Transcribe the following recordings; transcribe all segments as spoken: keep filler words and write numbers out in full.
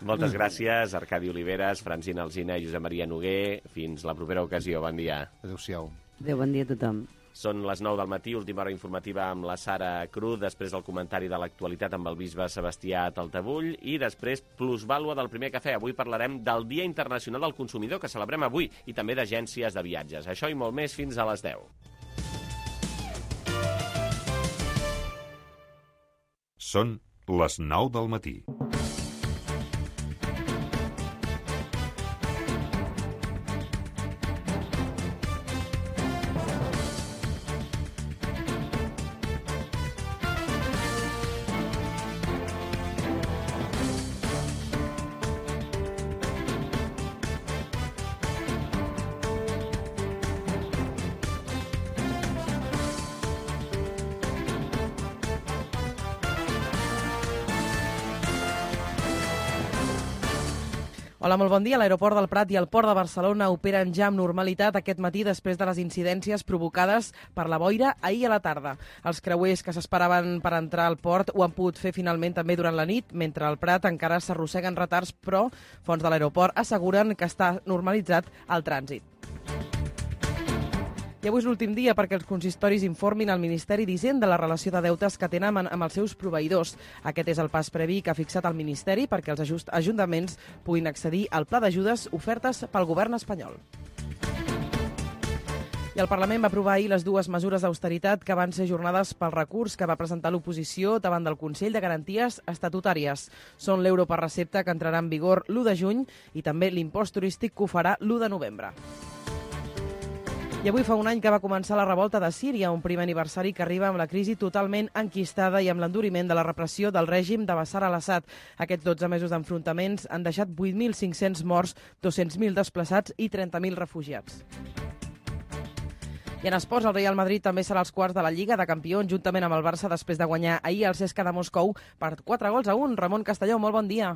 Moltes gràcies, Arcadi Oliveres, Francina Alsina i Josep Maria Noguer. Fins la propera ocasió. Bon dia. Adéu-siau. Adéu, bon dia a tothom. Són les nou del matí, última hora informativa amb la Sara Cruz, després el comentari de l'actualitat amb el bisbe Sebastià Taltabull i després plusvàlua del primer cafè. Avui parlarem del Dia Internacional del Consumidor, que celebrem avui, i també d'agències de viatges. Això i molt més fins a les deu. Són les nou del matí. Hola, molt bon dia. L'aeroport del Prat i el port de Barcelona operen ja amb normalitat aquest matí després de les incidències provocades per la boira ahir a la tarda. Els creuers que s'esperaven per entrar al port ho han pogut fer finalment també durant la nit, mentre al Prat encara s'arrosseguen retards, però fonts de l'aeroport asseguren que està normalitzat el trànsit. I avui és l'últim dia perquè els consistoris informin al Ministeri d'Hisenda la relació de deutes que tenen amb els seus proveïdors. Aquest és el pas previ que ha fixat el Ministeri perquè els ajuntaments puguin accedir al pla d'ajudes ofertes pel govern espanyol. I el Parlament va aprovar ahir les dues mesures d'austeritat que van ser ajornades pel recurs que va presentar l'oposició davant del Consell de Garanties Estatutàries. Són l'euro per recepta, que entrarà en vigor l'u de juny, i també l'impost turístic, que ho farà l'u de novembre. I avui fa un any que va començar la revolta de Síria, un primer aniversari que arriba amb la crisi totalment enquistada i amb l'enduriment de la repressió del règim de Bashar al-Assad. Aquests dotze mesos d'enfrontaments han deixat vuit mil cinc-cents morts, dos-cents mil desplaçats i trenta mil refugiats. I en esports, el Real Madrid també serà als quarts de la Lliga de Campions, juntament amb el Barça, després de guanyar ahir el C S K a de Moscou per quatre gols a un. Ramon Castelló, molt bon dia.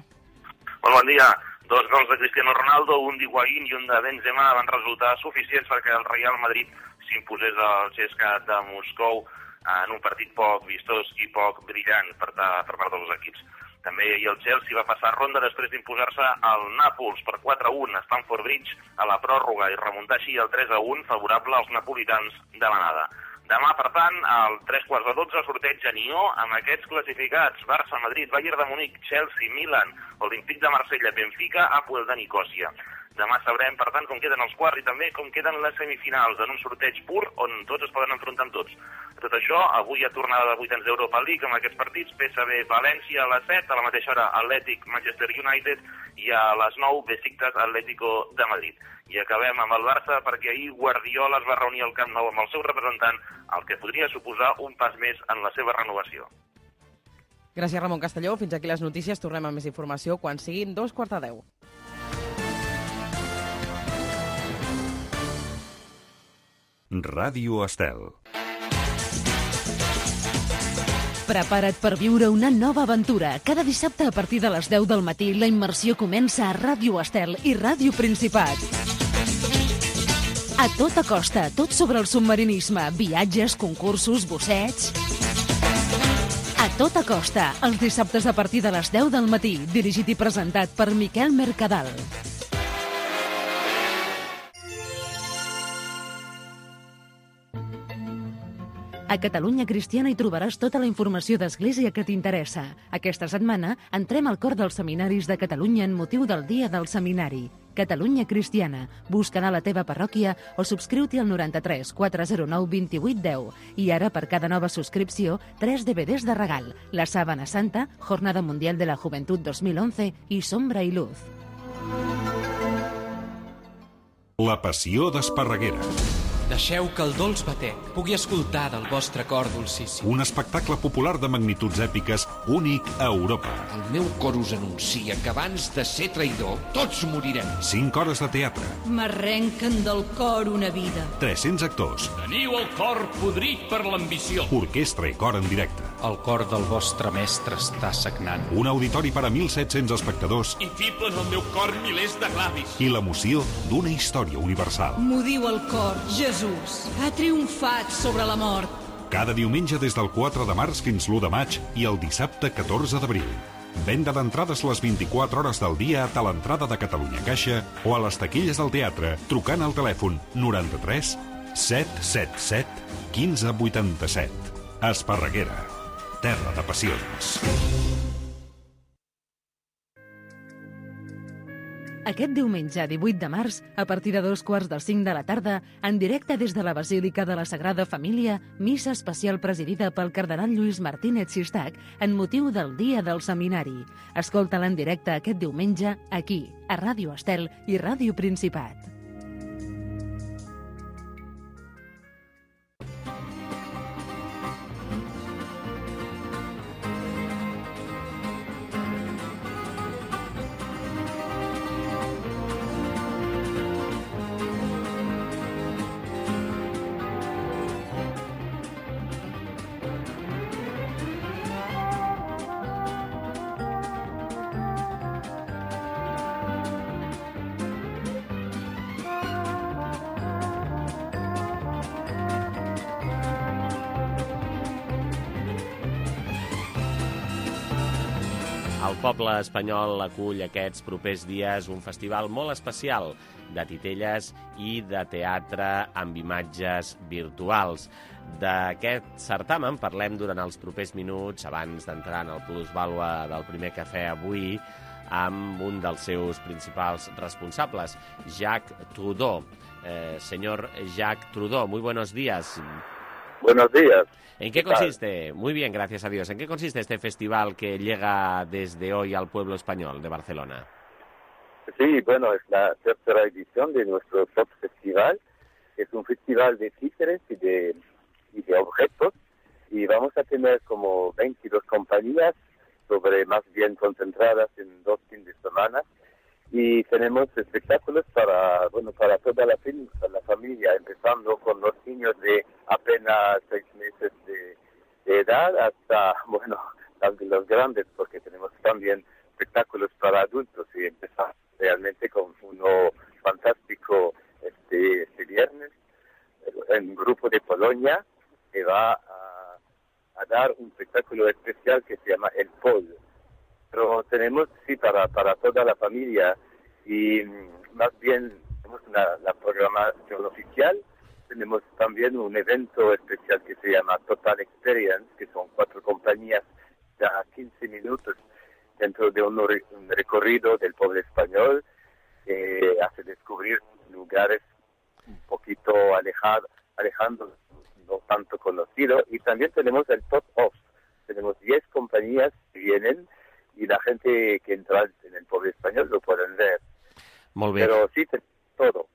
Molt bon dia. Dos gols de Cristiano Ronaldo, un d'Higuaín i un de Benzema van resultar suficients perquè el Real Madrid s'imposés al C S K a de Moscou en un partit poc vistós i poc brillant per, per part dels equips. També ahir el Chelsea va passar ronda després d'imposar-se al Nàpols per quatre a un a Stamford Bridge a la pròrroga i remuntar així el tres a un favorable als napolitans de l'anada. Demà, per tant, al tres quarts de dotze, sorteig a Nió amb aquests classificats: Barça, Madrid, Bayern de Munic, Chelsea, Milan, Olímpic de Marsella, Benfica, Apoel de Nicòsia. Demà sabrem, per tant, com queden els quarts i també com queden les semifinals en un sorteig pur on tots es poden enfrontar amb tots. Tot això, avui hi ha tornada de vuitens d'Europa League amb aquests partits: P S V València a les set, a la mateixa hora Atlètic Manchester United i a les nou Besiktas Atlético de Madrid. I acabem amb el Barça perquè ahir Guardiola es va reunir al Camp Nou amb el seu representant, el que podria suposar un pas més en la seva renovació. Gràcies, Ramon Castelló. Fins aquí les notícies. Tornem amb més informació quan siguin dos quarts de deu. Ràdio Estel. Prepara't per viure una nova aventura. Cada dissabte a partir de les deu del matí la immersió comença a Ràdio Estel i Ràdio Principat. A tota costa, tot sobre el submarinisme, viatges, concursos, bussets... A tota costa, els dissabtes a partir de les deu del matí, dirigit i presentat per Miquel Mercadal. A Catalunya Cristiana hi trobaràs tota la informació d'Església que t'interessa. Aquesta setmana entrem al cor dels seminaris de Catalunya en motiu del Dia del Seminari. Catalunya Cristiana. Busca-la a la teva parròquia o subscriu-t'hi al noranta-tres quatre zero nou vint vuit deu. I ara, per cada nova subscripció, tres D V Ds de regal. La Sàbana Santa, Jornada Mundial de la Juventud dos mil onze i Sombra i Luz. La Passió d'Esparreguera. Deixeu que el dolç batec pugui escoltar del vostre cor dolcíssim. Un espectacle popular de magnituds èpiques únic a Europa. El meu cor us anuncia que abans de ser traïdor, tots morirem. Cinc hores de teatre. M'arrenquen del cor una vida. tres-cents actors. Teniu el cor podrit per l'ambició. Orquestra i cor en directe. El cor del vostre mestre està sagnant. Un auditori per a mil set-cents espectadors. I fiblen al meu cor milers de glavis. I l'emoció d'una història universal. M'ho diu el cor, Jesús ha triomfat sobre la mort. Cada diumenge des del quatre de març fins l'u de maig i el dissabte catorze d'abril. Venda d'entrades les vint-i-quatre hores del dia a l'entrada de Catalunya Caixa o a les taquilles del teatre trucant al telèfon noranta-tres set set set quinze vuitanta-set. Esparreguera, terra de passions. Aquest diumenge, divuit de març, a partir de dos quarts de cinc de la tarda, en directe des de la Basílica de la Sagrada Família, missa especial presidida pel cardenal Lluís Martínez Sistac en motiu del Dia del Seminari. Escolta-la en directe aquest diumenge, aquí, a Ràdio Estel i Ràdio Principat. El poble espanyol acull aquests propers dies un festival molt especial de titelles i de teatre amb imatges virtuals. D'aquest certamen parlem durant els propers minuts, abans d'entrar en el plusvàlua del primer cafè avui, amb un dels seus principals responsables, Jacques Trudeau. Eh, señor Jacques Trudeau, muy buenos días. Buenos días. ¿En qué consiste? Muy bien, gracias a Dios. ¿En qué consiste este festival que llega desde hoy al pueblo español de Barcelona? Sí, bueno, es la tercera edición de nuestro Top Festival. Es un festival de títeres y de, y de objetos. Y vamos a tener como veintidós compañías, sobre más bien concentradas en dos fines de semana. Y tenemos espectáculos para, bueno, para toda la, para la familia, empezando con los niños de apenas seis meses de, de edad hasta, bueno, los grandes, porque tenemos también espectáculos para adultos y empezamos realmente con uno fantástico este, este viernes, un grupo de Polonia que va a, a dar un espectáculo especial que se llama El Pol. Pero tenemos, sí, para, para toda la familia y más bien tenemos una, la programación oficial. Tenemos también un evento especial que se llama Total Experience, que son cuatro compañías de quince minutos dentro de un, un recorrido del pueblo español que hace descubrir lugares un poquito alejados, alejando, no tanto conocidos. Y también tenemos el Top Off. Tenemos diez compañías que vienen y la gente que entra en el pueblo español lo pueden ver. Molt bé. Però sí, tot.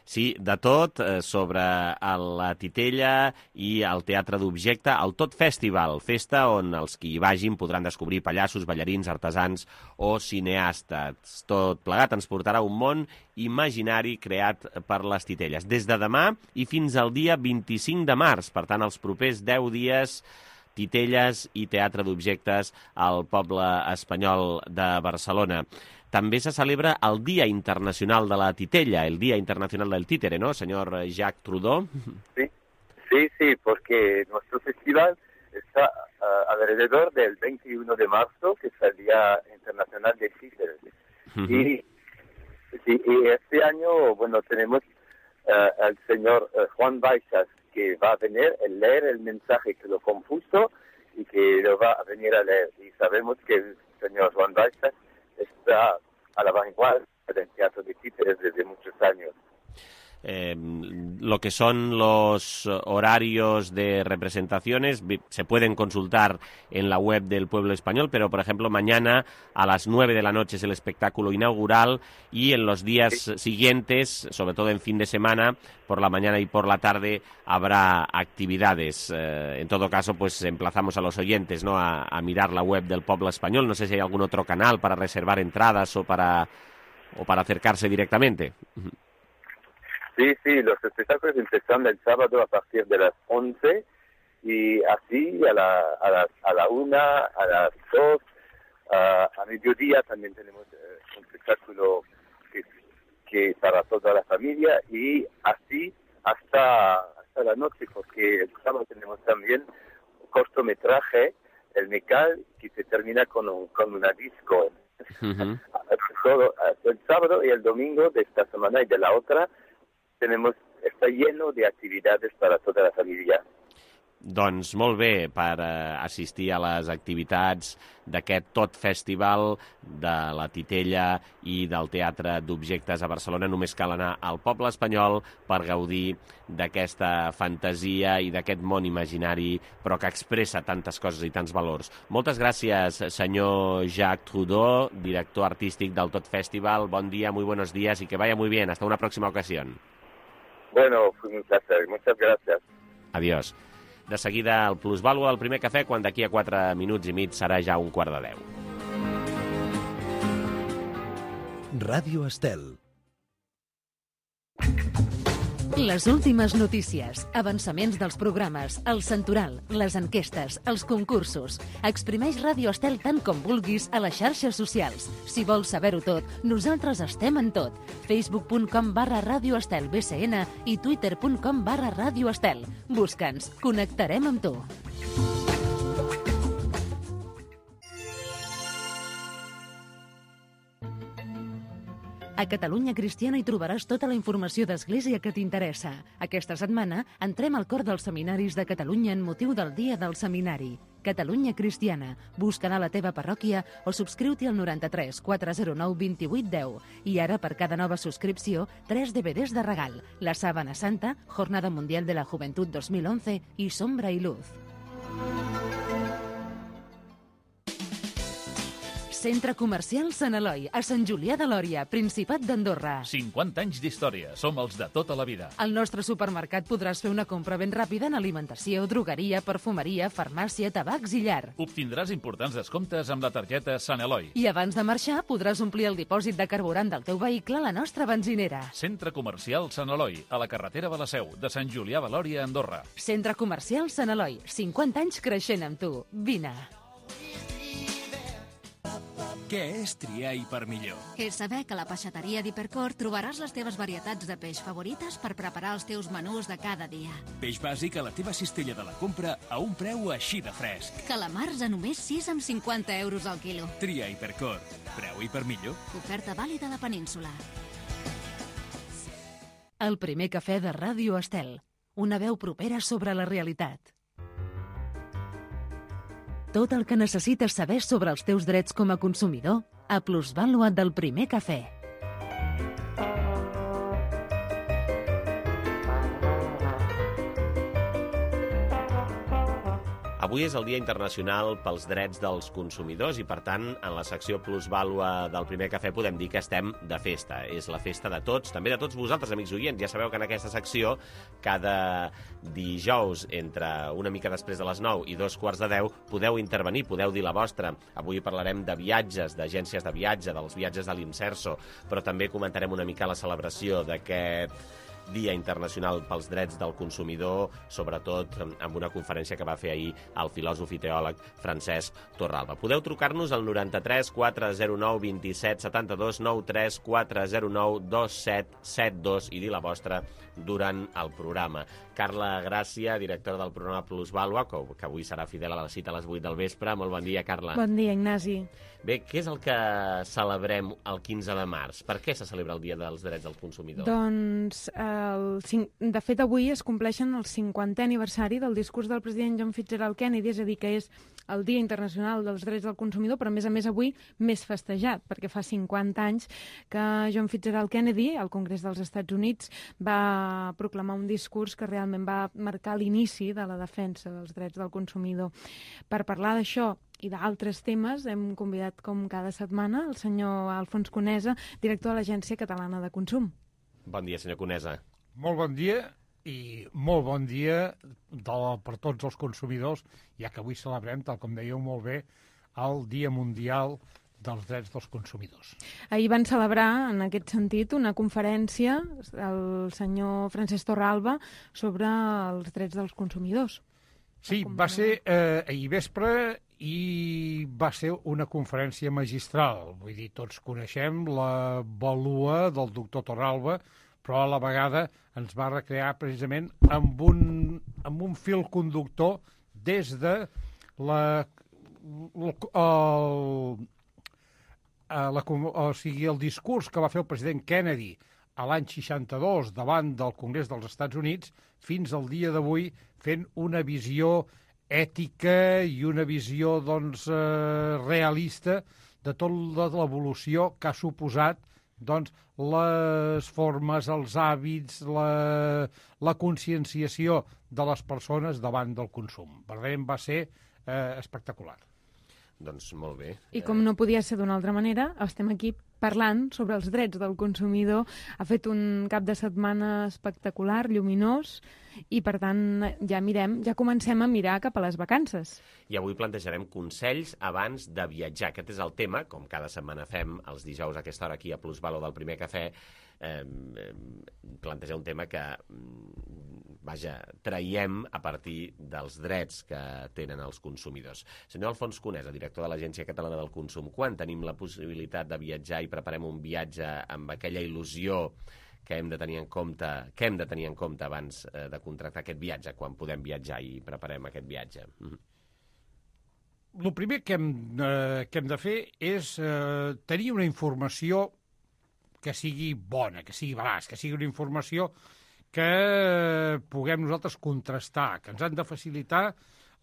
Sí, de tot, eh, sobre la titella i el teatre d'objecte, el Tot Festival, festa on els que hi vagin podran descobrir pallassos, ballarins, artesans o cineastes. Tot plegat ens portarà un món imaginari creat per les titelles. Des de demà i fins al dia vint-i-cinc de març, per tant, els propers deu dies, titelles i teatre d'objectes al poble espanyol de Barcelona. També se celebra el Dia Internacional de la Titella, el Día Internacional del Títere, ¿no, señor Jacques Trudeau? Sí, sí, sí, porque nuestro festival está uh, alrededor del veintiuno de marzo, que es el Día Internacional del Títere. Uh-huh. y, sí, y este año, bueno, tenemos uh, al señor uh, Juan Baixas, que va a venir a leer el mensaje que lo compuso y que lo va a venir a leer. Y sabemos que el señor Juan Baixas está a la vanguardia del teatro de títeres desde muchos años. Eh, lo que son los horarios de representaciones se pueden consultar en la web del Pueblo Español, pero por ejemplo mañana a las nueve de la noche es el espectáculo inaugural y en los días sí. siguientes, sobre todo en fin de semana, por la mañana y por la tarde habrá actividades. Eh, en todo caso, pues emplazamos a los oyentes, ¿no?, a, a mirar la web del Pueblo Español. No sé si hay algún otro canal para reservar entradas o para, o para acercarse directamente. Sí, sí, los espectáculos empiezan el sábado a partir de las once y así a la, a las, a la una, a las dos, a, a mediodía también tenemos eh, un espectáculo que, que para toda la familia y así hasta, hasta la noche, porque el sábado tenemos también un cortometraje el Mecal, que se termina con, un, con una disco. Uh-huh. Todo, el sábado y el domingo de esta semana y de la otra tenemos, está lleno de actividades para toda la familia. Doncs molt bé, per eh, assistir a les activitats d'aquest Tot Festival de la Titella i del Teatre d'Objectes a Barcelona. Només cal anar al poble espanyol per gaudir d'aquesta fantasia i d'aquest món imaginari, però que expressa tantes coses i tants valors. Moltes gràcies, senyor Jacques Trudeau, director artístic del Tot Festival. Bon dia, muy buenos días y que vaya muy bien. Hasta una próxima ocasión. Bueno, fue un placer. Muchas gracias. Adiós. De seguida, el plusvàlua del primer cafè, quan d'aquí a quatre minuts i mig serà ja un quart de deu. Ràdio Estel. Les últimes notícies, avançaments dels programes, el santoral, les enquestes, els concursos. Exprimeix Ràdio Estel tant com vulguis a les xarxes socials. Si vols saber-ho tot, nosaltres estem en tot. facebook punt com barra Ràdio Estel B C N i twitter punt com barra Ràdio Estel. Busca'ns, connectarem amb tu. A Catalunya Cristiana hi trobaràs tota la informació d'Església que t'interessa. Aquesta setmana entrem al cor dels seminaris de Catalunya en motiu del Dia del Seminari. Catalunya Cristiana. Busca a la teva parròquia o subscriu-t'hi al noranta-tres quatre zero nou vint vuit deu. I ara, per cada nova subscripció, tres D V Ds de regal. La Sábana Santa, Jornada Mundial de la Juventud dos mil once i Sombra i Luz. Centre Comercial Sant Eloi, a Sant Julià de Lòria, Principat d'Andorra. cinquanta anys d'història, som els de tota la vida. Al nostre supermercat podràs fer una compra ben ràpida en alimentació, drogueria, perfumeria, farmàcia, tabacs i llar. Obtindràs importants descomptes amb la targeta Sant Eloi. I abans de marxar podràs omplir el dipòsit de carburant del teu vehicle a la nostra benzinera. Centre Comercial Sant Eloi, a la carretera de la Seu, de Sant Julià de Lòria, Andorra. Centre Comercial Sant Eloi, cinquanta anys creixent amb tu. Vine. Què és triar i per millor? És saber que a la peixateria d'Hipercor trobaràs les teves varietats de peix favorites per preparar els teus menús de cada dia. Peix bàsic a la teva cistella de la compra a un preu així de fresc. Calamars a només sis amb cinquanta euros al quilo. Tria Hipercor. Preu i per millor. Oferta vàlida a la península. El primer cafè de Ràdio Estel. Una veu propera sobre la realitat. Tot el que necessites saber sobre els teus drets com a consumidor a Plusvàlua del primer cafè. Avui és el Dia Internacional pels Drets dels Consumidors i, per tant, en la secció Plusvàlua del primer cafè podem dir que estem de festa. És la festa de tots, també de tots vosaltres, amics oients. Ja sabeu que en aquesta secció, cada dijous, entre una mica després de les nou i dos quarts de deu, podeu intervenir, podeu dir la vostra. Avui parlarem de viatges, d'agències de viatge, dels viatges de l'Imserso, però també comentarem una mica la celebració d'aquest Dia Internacional pels Drets del Consumidor, sobretot amb una conferència que va fer ahir el filòsof i teòleg Francesc Torralba. Podeu trucar-nos al noranta-tres quatre zero nou vint set setanta-dos noranta-tres quatre zero nou dos set set dos i dir la vostra durant el programa. Carla Gràcia, directora del programa Plusvàlua, que avui serà fidel a la cita a les vuit del vespre. Molt bon dia, Carla. Bon dia, Ignasi. Bé, què és el que celebrem el quinze de març? Per què se celebra el Dia dels Drets del Consumidor? Doncs, el, de fet, avui es compleixen el cinquantè aniversari del discurs del president John Fitzgerald Kennedy, és a dir, que és el Dia Internacional dels Drets del Consumidor, però, a més a més, avui més festejat, perquè fa cinquanta anys que John Fitzgerald Kennedy, al Congrés dels Estats Units, va proclamar un discurs que realment va marcar l'inici de la defensa dels drets del consumidor. Per parlar d'això i d'altres temes hem convidat, com cada setmana, el senyor Alfons Conesa, director de l'Agència Catalana de Consum. Bon dia, senyor Conesa. Molt bon dia i molt bon dia de, per tots els consumidors, ja que avui celebrem, tal com dèieu molt bé, el Dia Mundial dels Drets dels Consumidors. Ahir van celebrar, en aquest sentit, una conferència, el senyor Francesc Torralba, sobre els drets dels consumidors. Sí, va ser eh, ahir vespre i va ser una conferència magistral. Vull dir, tots coneixem la vàlua del doctor Torralba, però a la vegada ens va recrear precisament amb un, amb un fil conductor des de la el, el, la, o sigui, el discurs que va fer el president Kennedy a l'any seixanta-dos davant del Congrés dels Estats Units fins al dia d'avui fent una visió ètica i una visió doncs, eh, realista de tota l'evolució que ha suposat doncs, les formes, els hàbits, la, la conscienciació de les persones davant del consum. Verdaderament va ser eh, espectacular. Doncs molt bé. I com no podia ser d'una altra manera, estem aquí parlant sobre els drets del consumidor. Ha fet un cap de setmana espectacular, lluminós, i per tant ja mirem, ja comencem a mirar cap a les vacances. I avui plantejarem consells abans de viatjar. Aquest és el tema, com cada setmana fem els dijous a aquesta hora aquí a Plusvalor del Primer Cafè, eh, plantejar un tema que, vaja, traiem a partir dels drets que tenen els consumidors. Senyor Alfons Conesa, director de l'Agència Catalana del Consum, quan tenim la possibilitat de viatjar i preparem un viatge amb aquella il·lusió que hem de tenir en compte, que hem de tenir en compte abans eh, de contractar aquest viatge, quan podem viatjar i preparem aquest viatge? Mm. El primer que hem, eh, que hem de fer és eh, tenir una informació que sigui bona, que sigui veraç, que sigui una informació que puguem nosaltres contrastar, que ens han de facilitar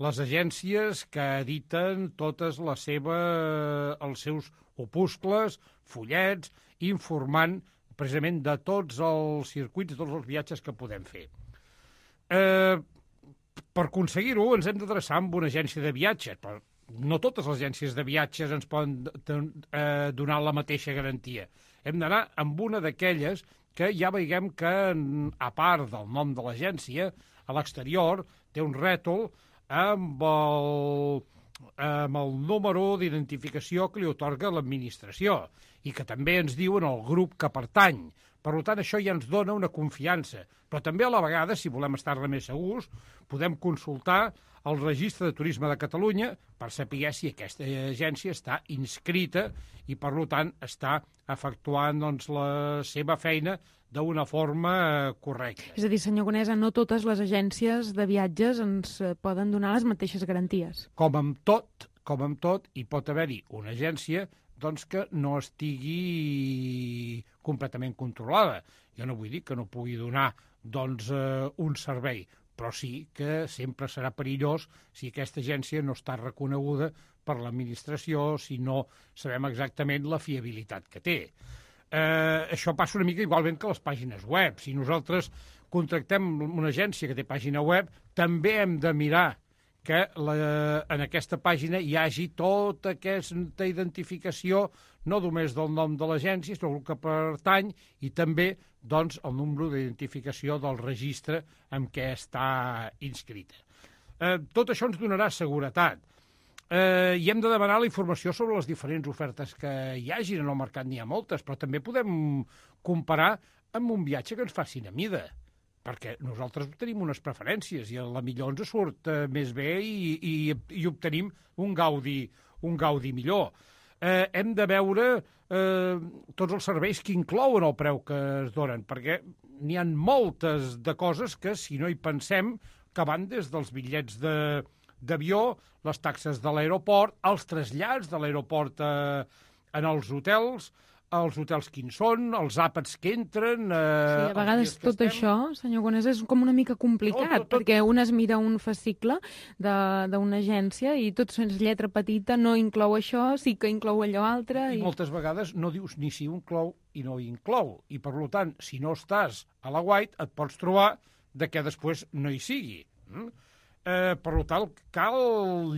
les agències que editen totes les seves, els seus opuscles, fullets, informant precisament de tots els circuits, de tots els viatges que podem fer. Eh, per aconseguir-ho ens hem d'adreçar amb una agència de viatges, però no totes les agències de viatges ens poden eh, donar la mateixa garantia. Hem d'anar amb una d'aquelles que ja veiem que, a part del nom de l'agència, a l'exterior té un rètol amb el, amb el número d'identificació que li otorga l'administració i que també ens diuen el grup que pertany. Per tant, això ja ens dona una confiança. Però també a la vegada, si volem estar-ne més segurs, podem consultar el Registre de Turisme de Catalunya per saber si aquesta agència està inscrita i, per tant, està efectuant doncs, la seva feina d'una forma correcta. És a dir, senyor Conesa, no totes les agències de viatges ens poden donar les mateixes garanties. Com amb tot, com amb tot, hi pot haver-hi una agència doncs, que no estigui completament controlada. Jo no vull dir que no pugui donar doncs, eh, un servei, però sí que sempre serà perillós si aquesta agència no està reconeguda per l'administració, si no sabem exactament la fiabilitat que té. Eh, això passa una mica igualment que les pàgines web. Si nosaltres contractem una agència que té pàgina web, també hem de mirar que la, en aquesta pàgina hi hagi tota aquesta identificació, no només del nom de l'agència, sinó el que pertany, i també doncs, el número d'identificació del registre en què està inscrita. Eh, tot això ens donarà seguretat. Eh, I hem de demanar la informació sobre les diferents ofertes que hi hagin. En el mercat n'hi ha moltes, però també podem comparar amb un viatge que ens facin a mida, perquè nosaltres tenim unes preferències i a la millor ens surt eh, més bé i, i, i obtenim un gaudi, un gaudi millor. Eh, hem de veure eh, tots els serveis que inclouen el preu que es donen, perquè n'hi ha moltes de coses que, si no hi pensem, que van des dels bitllets de, d'avió, les taxes de l'aeroport, els trasllats de l'aeroport eh, en els hotels, els hotels quins són, els àpats que entren... Eh, sí, a vegades tot estem... això, senyor Conesa, és com una mica complicat, tot, tot, tot... perquè un es mira un fascicle d'una agència i tot és lletra petita, no inclou això, sí que inclou allò altre... I, i moltes vegades no dius ni si ho inclou i no ho inclou. I, per tant, si no estàs a la White, et pots trobar de que després no hi sigui. Mm? Eh, per tant, cal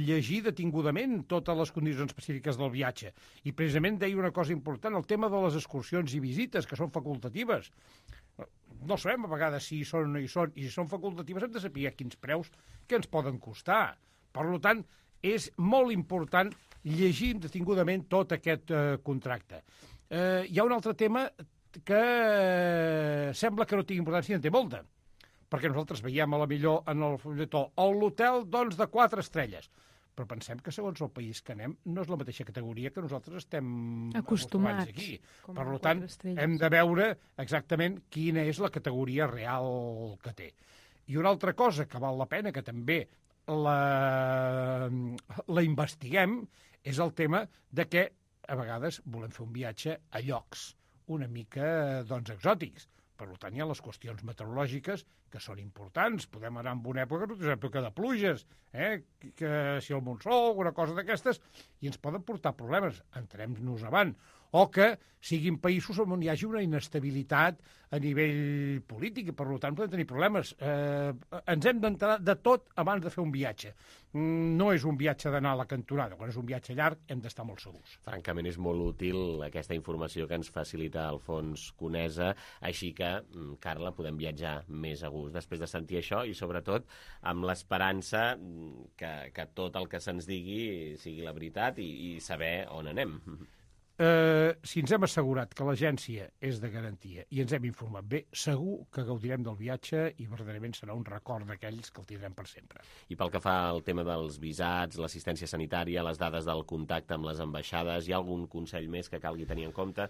llegir detingudament totes les condicions específiques del viatge. I precisament deia una cosa important, el tema de les excursions i visites, que són facultatives. No sabem a vegades si hi són o no hi són, i si són facultatives hem de saber quins preus que ens poden costar. Per tant, és molt important llegir detingudament tot aquest eh, contracte. Eh, hi ha un altre tema que eh, sembla que no tingui importància i en té molta, perquè nosaltres veiem a la millor en el fulletó l'hotel doncs, de quatre estrelles. Però pensem que segons el país que anem no és la mateixa categoria que nosaltres estem acostumats, acostumats aquí. Per tant, hem de veure exactament quina és la categoria real que té. I una altra cosa que val la pena, que també la, la investiguem és el tema de que a vegades volem fer un viatge a llocs una mica doncs, exòtics. Per tant, hi ha les qüestions meteorològiques que són importants. Podem anar en una època, una època de pluges, eh? que si el monsol, alguna cosa d'aquestes, i ens poden portar problemes. Entrem-nos avant. O que siguin països on hi hagi una inestabilitat a nivell polític i, per tant, podem tenir problemes. Eh, ens hem d'entrar de tot abans de fer un viatge. No és un viatge d'anar a la cantonada. Quan és un viatge llarg hem d'estar molt segurs. Francament, és molt útil aquesta informació que ens facilita Alfons Conesa, així que, Carla, podem viatjar més a gust després de sentir això i, sobretot, amb l'esperança que, que tot el que se'ns digui sigui la veritat i, i saber on anem. Eh, si ens hem assegurat que l'agència és de garantia i ens hem informat bé, segur que gaudirem del viatge i verdaderament serà un record d'aquells que el tindrem per sempre. I pel que fa al tema dels visats, l'assistència sanitària, les dades del contacte amb les ambaixades, hi ha algun consell més que calgui tenir en compte?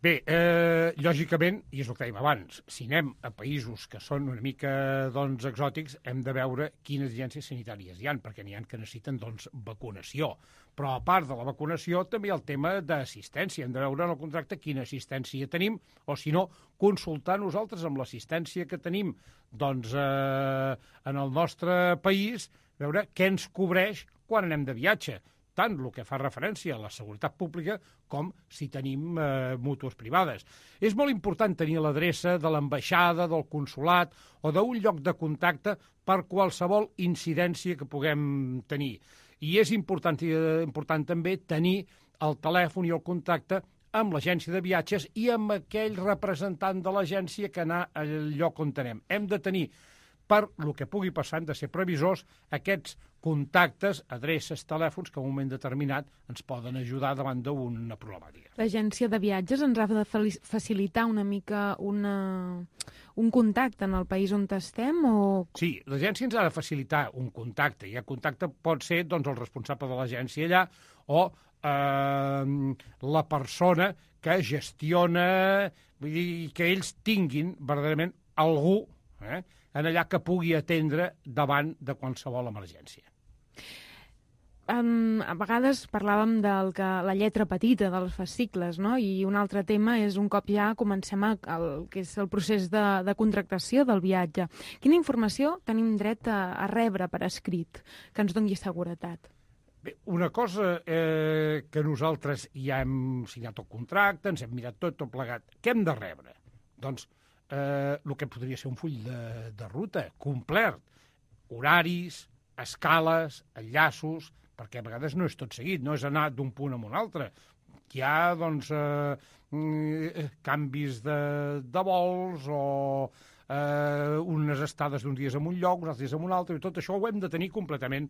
Bé, eh, lògicament, i és el que dèiem abans, si anem a països que són una mica doncs, exòtics, hem de veure quines agències sanitàries hi ha, perquè n'hi ha que necessiten doncs, vacunació. Però a part de la vacunació també hi ha el tema d'assistència. Hem de veure en el contracte quina assistència tenim, o si no, consultar nosaltres amb l'assistència que tenim doncs, eh, en el nostre país, veure què ens cobreix quan anem de viatge. Tant el que fa referència a la seguretat pública com si tenim eh, mútues privades. És molt important tenir l'adreça de l'ambaixada, del consolat o d'un lloc de contacte per qualsevol incidència que puguem tenir. I és important, eh, important també tenir el telèfon i el contacte amb l'agència de viatges i amb aquell representant de l'agència que anar al lloc on anem. Hem de tenir, per el que pugui passar, hem de ser previsors, aquests contactes, adreces, telèfons, que en un moment determinat ens poden ajudar davant d'una problemàtica. L'agència de viatges ens ha de facilitar una mica una... un contacte en el país on estem? O... Sí, l'agència ens ha de facilitar un contacte, i el contacte pot ser doncs, el responsable de l'agència allà o eh, la persona que gestiona, vull dir, que ells tinguin verdaderament algú eh, en allà que pugui atendre davant de qualsevol emergència. Um, a vegades parlàvem del que, la lletra petita dels fascicles, no? I un altre tema és un cop ja comencem a, el, que és el procés de, de contractació del viatge. Quina informació tenim dret a, a rebre per escrit que ens doni seguretat? Bé, una cosa eh, que nosaltres ja hem signat el contracte, ens hem mirat tot, tot plegat. Què hem de rebre? Doncs eh, el que podria ser un full de, de ruta complet. Horaris, escales, enllaços, perquè a vegades no és tot seguit, no és anar d'un punt a un altre. Hi ha, doncs, eh, canvis de, de vols o eh, unes estades d'un dia en un lloc, uns altres dies en un altre, i tot això ho hem de tenir completament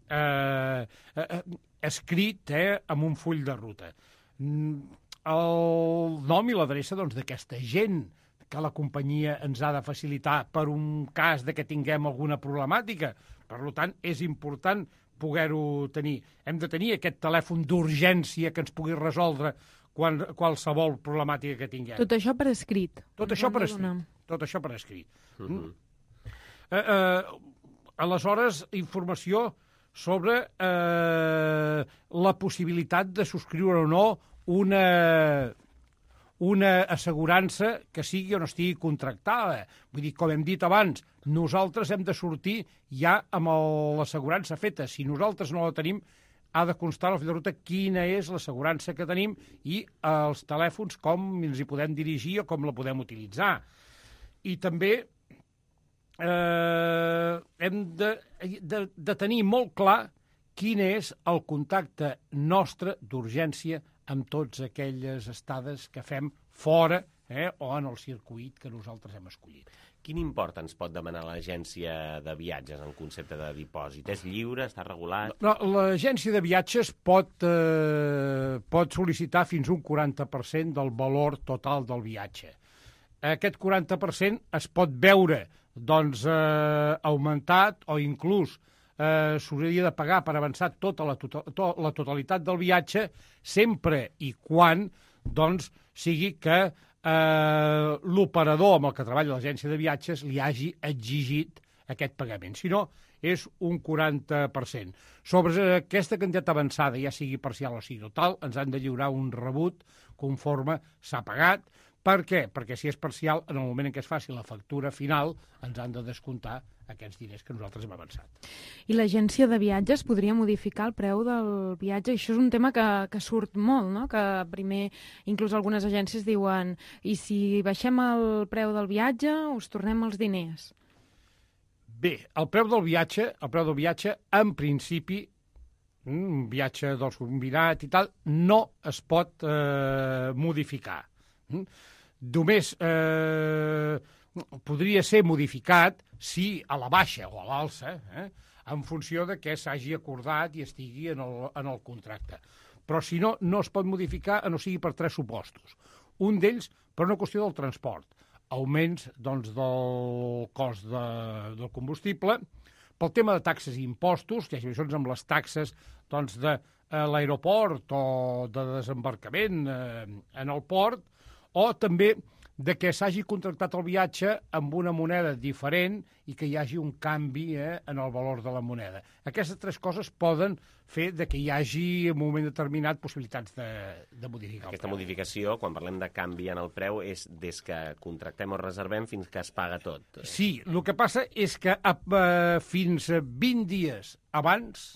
eh, eh, escrit eh, amb un full de ruta. El nom i l'adreça doncs, d'aquesta gent que la companyia ens ha de facilitar per un cas de que tinguem alguna problemàtica. Per tant, és important poder-ho tenir. Hem de tenir aquest telèfon d'urgència que ens pugui resoldre quan, qualsevol problemàtica que tinguem. Tot això per escrit. Tot això per escrit. Tot això per escrit. Uh-huh. eh, eh, aleshores, informació sobre eh, la possibilitat de subscriure o no una... una assegurança que sigui o no estigui contractada. Vull dir, com hem dit abans, nosaltres hem de sortir ja amb l'assegurança feta. Si nosaltres no la tenim, ha de constar al full de ruta quina és l'assegurança que tenim i els telèfons com ens hi podem dirigir o com la podem utilitzar. I també eh, hem de, de, de tenir molt clar quin és el contacte nostre d'urgència amb totes aquelles estades que fem fora eh, o en el circuit que nosaltres hem escollit. Quin import ens pot demanar l'agència de viatges en concepte de dipòsit? És lliure? Està regulat? No, l'agència de viatges pot, eh, pot sol·licitar fins un quaranta per cent del valor total del viatge. Aquest quaranta per cent es pot veure doncs, eh, augmentat o inclús eh, s'hauria de pagar per avançar tota la, to to la totalitat del viatge sempre i quan doncs, sigui que eh, l'operador amb el que treballa l'agència de viatges li hagi exigit aquest pagament. Si no, és un quaranta per cent. Sobre aquesta quantitat avançada, ja sigui parcial o sigui total, ens han de lliurar un rebut conforme s'ha pagat. Per què? Perquè si és parcial, en el moment en què es faci la factura final, ens han de descomptar aquests diners que nosaltres hem avançat. I l'agència de viatges podria modificar el preu del viatge? Això és un tema que, que surt molt, no? Que primer, inclús algunes agències diuen i si baixem el preu del viatge, us tornem els diners. Bé, el preu del viatge, el preu del viatge, en principi, un viatge dels combinat i tal, no es pot eh, modificar. Només eh, podria ser modificat si a la baixa o a l'alça, eh, en funció de què s'hagi acordat i estigui en el, en el contracte. Però si no, no es pot modificar, a no sigui per tres supostos. Un d'ells per una qüestió del transport, augments doncs, del cost de, del combustible, pel tema de taxes i impostos, que hi ha situacions amb les taxes doncs, de eh, l'aeroport o de desembarcament eh, en el port, o també de que s'hagi contractat el viatge amb una moneda diferent i que hi hagi un canvi eh, en el valor de la moneda. Aquestes tres coses poden fer de que hi hagi en un moment determinat possibilitats de, de modificar Aquesta el preu. modificació, quan parlem de canvi en el preu, és des que contractem o reservem fins que es paga tot. Sí, el que passa és que eh, fins a vint dies abans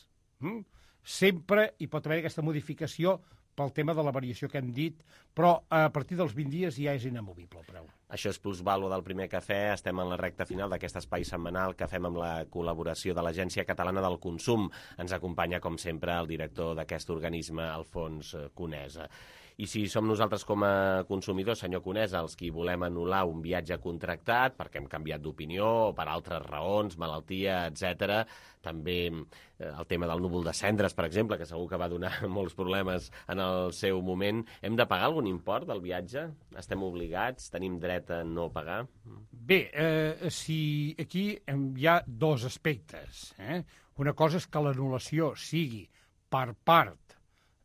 hm, sempre hi pot haver aquesta modificació pel tema de la variació que hem dit, però a partir dels vint dies ja és inamovible el preu. Això és Plusvàlua del Primer Cafè. Estem en la recta final d'aquest espai setmanal que fem amb la col·laboració de l'Agència Catalana del Consum. Ens acompanya, com sempre, el director d'aquest organisme, Alfons Conesa. I si som nosaltres com a consumidors, senyor Conesa, els qui volem anul·lar un viatge contractat perquè hem canviat d'opinió o per altres raons, malaltia, etcètera, també eh, el tema del núvol de cendres, per exemple, que segur que va donar molts problemes en el seu moment, hem de pagar algun import del viatge? Estem obligats? Tenim dret a no pagar? Bé, eh, si aquí hi ha dos aspectes. Eh? Una cosa és que l'anul·lació sigui per part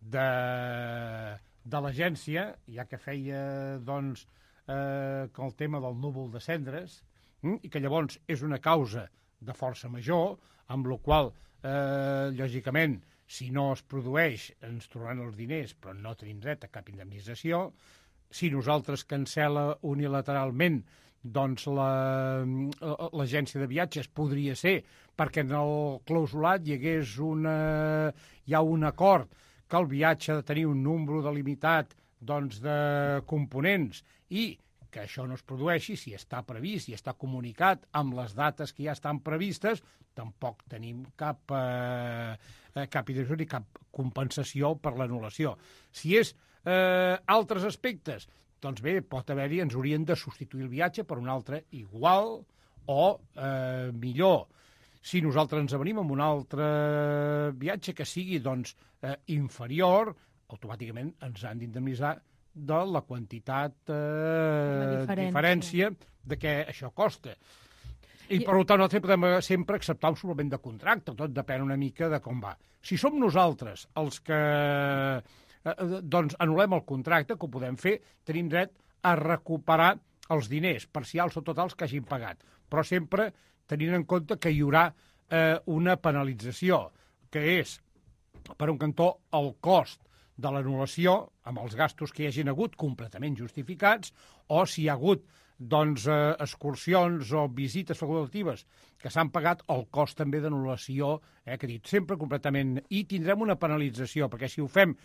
de... de l'agència, ja que feia doncs, eh, el tema del núvol de cendres, hm, i que llavors és una causa de força major, amb la qual, eh, lògicament, si no es produeix, ens tornaran els diners, però no tenim dret a cap indemnització. Si nosaltres cancela unilateralment, doncs l'agència de viatges podria ser perquè en el clausulat hi hagués una, hi ha un acord que el viatge ha de tenir un número delimitat doncs, de components i que això no es produeixi, si està previst, si està comunicat amb les dates que ja estan previstes, tampoc tenim cap, eh, cap idea ni cap compensació per l'anul·lació. Si és eh, altres aspectes, doncs bé, pot haver-hi, ens haurien de substituir el viatge per un altre igual o eh, millor. Si nosaltres ens avenim amb un altre viatge que sigui doncs, eh, inferior, automàticament ens han d'indemnitzar de la quantitat eh, la diferència. diferència de què això costa. I, I per tant, nosaltres podem sempre acceptar un suplement de contracte, tot depèn una mica de com va. Si som nosaltres els que eh, doncs anul·lem el contracte, que ho podem fer, tenim dret a recuperar els diners parcials o totals que hagin pagat. Però sempre tenint en compte que hi haurà eh, una penalització, que és, per un cantó, el cost de l'anul·lació, amb els gastos que hi hagin hagut completament justificats, o si hi ha hagut doncs, eh, excursions o visites facultatives que s'han pagat, el cost també d'anul·lació, eh, que he dit, sempre completament... I tindrem una penalització, perquè si ho fem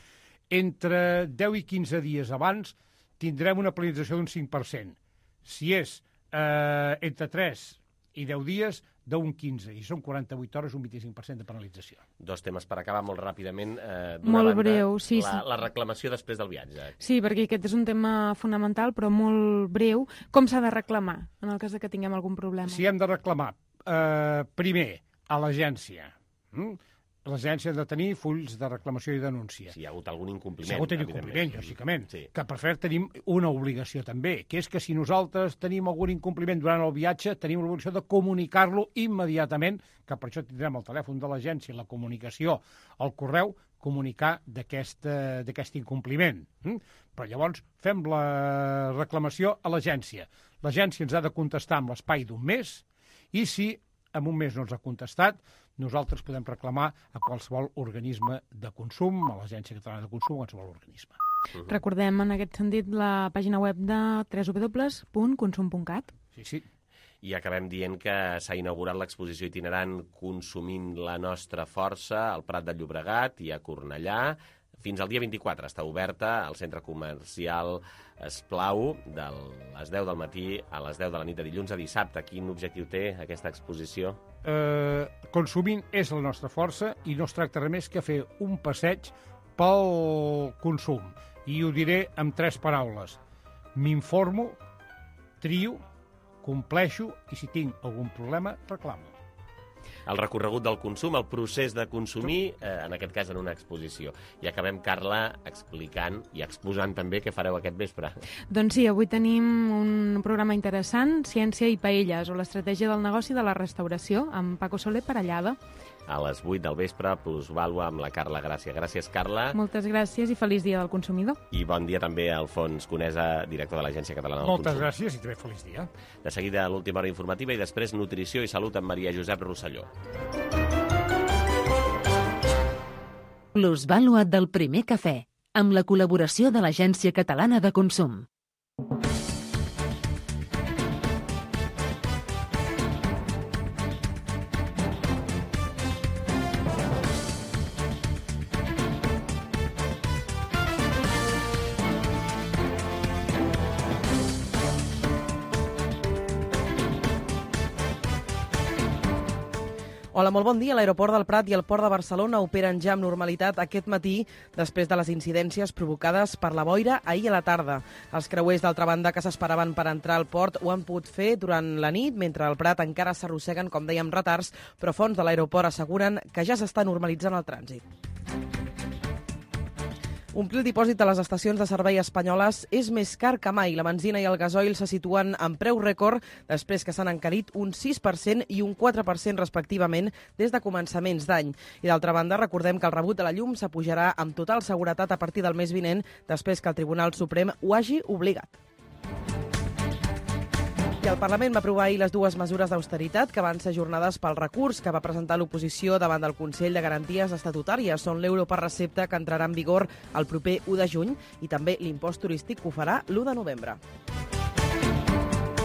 entre deu i quinze dies abans, tindrem una penalització d'un cinc per cent. Si és eh, entre tres i deu dies, d'un quinze, i són quaranta-vuit hores, un vint-i-cinc per cent de penalització. Dos temes per acabar molt ràpidament. Eh, molt banda, breu, sí. La, la reclamació després del viatge. Sí, perquè aquest és un tema fonamental, però molt breu. Com s'ha de reclamar, en el cas de que tinguem algun problema? Si hem de reclamar, eh, primer, a l'agència. Mm? L'agència ha de tenir fulls de reclamació i denúncia. Si hi ha hagut algun incompliment. Si hi ha hagut incompliment, lògicament. Sí. Que per fer tenim una obligació també, que és que si nosaltres tenim algun incompliment durant el viatge, tenim l'obligació de comunicar-lo immediatament, que per això tindrem el telèfon de l'agència, la comunicació, el correu, comunicar d'aquest incompliment. Mm? Però llavors fem la reclamació a l'agència. L'agència ens ha de contestar en l'espai d'un mes i si en un mes no ens ha contestat, nosaltres podem reclamar a qualsevol organisme de consum, a l'Agència Catalana de Consum, a qualsevol organisme. Uh-huh. Recordem en aquest sentit la pàgina web de w w w punt consum punt cat. Sí, sí. I acabem dient que s'ha inaugurat l'exposició itinerant Consumint la nostra força al Prat de Llobregat i a Cornellà. Fins al dia vint-i-quatre està oberta al centre comercial Esplau de les deu del matí a les deu de la nit de dilluns a dissabte. Quin objectiu té aquesta exposició? Eh, consumint és la nostra força i no es tracta res més que fer un passeig pel consum. I ho diré amb tres paraules. M'informo, trio, compleixo i si tinc algun problema, reclamo. El recorregut del consum, el procés de consumir, eh, en aquest cas en una exposició. I acabem, Carla, explicant i exposant també què fareu aquest vespre. Doncs sí, avui tenim un programa interessant, Ciència i Paelles, o l'estratègia del negoci de la restauració, amb Paco Soler Parellada. A les vuit del vespre, Plusvàlua amb la Carla Gràcia. Gràcies, Carla. Moltes gràcies i feliç dia del consumidor. I bon dia també a Alfons Conesa, director de l'Agència Catalana del Moltes Consum. Moltes gràcies i també feliç dia. De seguida, l'última hora informativa i després nutrició i salut amb Maria Josep Rosselló. Plusvàlua del primer cafè, amb la col·laboració de l'Agència Catalana de Consum. Hola, molt bon dia. L'aeroport del Prat i el port de Barcelona operen ja amb normalitat aquest matí després de les incidències provocades per la boira ahir a la tarda. Els creuers d'altra banda que s'esperaven per entrar al port ho han pogut fer durant la nit, mentre al Prat encara s'arrosseguen, com dèiem, retards, però fonts de l'aeroport asseguren que ja s'està normalitzant el trànsit. Omplir el dipòsit de les estacions de servei espanyoles és més car que mai. La benzina i el gasoil se situen en preu rècord després que s'han encarit un sis per cent i un quatre per cent respectivament des de començaments d'any. I d'altra banda, recordem que el rebut de la llum s'apujarà amb total seguretat a partir del mes vinent després que el Tribunal Suprem ho hagi obligat. I el Parlament va aprovar ahir les dues mesures d'austeritat que van ser ajornades pel recurs que va presentar l'oposició davant del Consell de Garanties Estatutàries. Són l'euro per recepta que entrarà en vigor el proper u de juny i també l'impost turístic que ho farà l'u de novembre.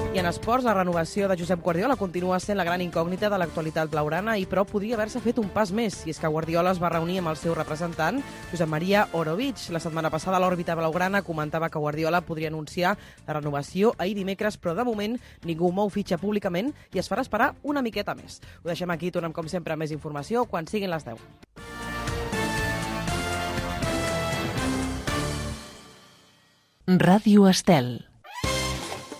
I en esports, la renovació de Josep Guardiola continua sent la gran incògnita de l'actualitat blaugrana i però podria haver-se fet un pas més, i és que Guardiola es va reunir amb el seu representant, Josep Maria Orovic. La setmana passada l'òrbita blaugrana comentava que Guardiola podria anunciar la renovació ahir dimecres, però de moment ningú mou fitxa públicament i es farà esperar una miqueta més. Ho deixem aquí, tornem com sempre amb més informació quan siguin les deu. Ràdio Estel.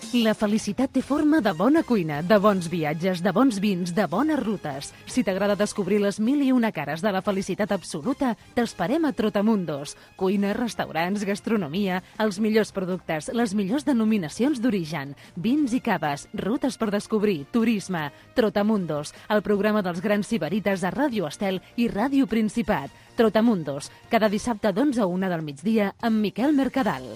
La felicitat té forma de bona cuina, de bons viatges, de bons vins, de bones rutes. Si t'agrada descobrir les mil i una cares de la felicitat absoluta, t'esperem a Trotamundos. Cuina, restaurants, gastronomia, els millors productes, les millors denominacions d'origen, vins i caves, rutes per descobrir, turisme. Trotamundos, el programa dels grans sibarites a Ràdio Estel i Ràdio Principat. Trotamundos, cada dissabte d'onze a una del migdia amb Miquel Mercadal.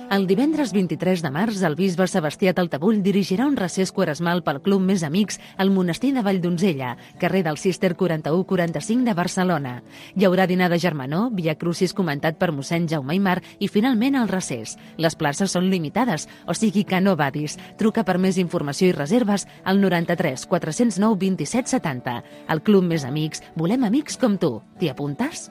El divendres vint-i-tres de març, el bisbe Sebastià Taltabull dirigirà un recés quaresmal pel Club Més Amics al monestir de Valldonzella, carrer del Cister quaranta-u quaranta-cinc de Barcelona. Hi haurà dinar de germanor, via crucis comentat per mossèn Jaume Aymar i finalment el recés. Les places són limitades, o sigui que no badis. Truca per més informació i reserves al noranta-tres quatre-cents nou vint-i-set setanta. Al Club Més Amics volem amics com tu. T'hi apuntes?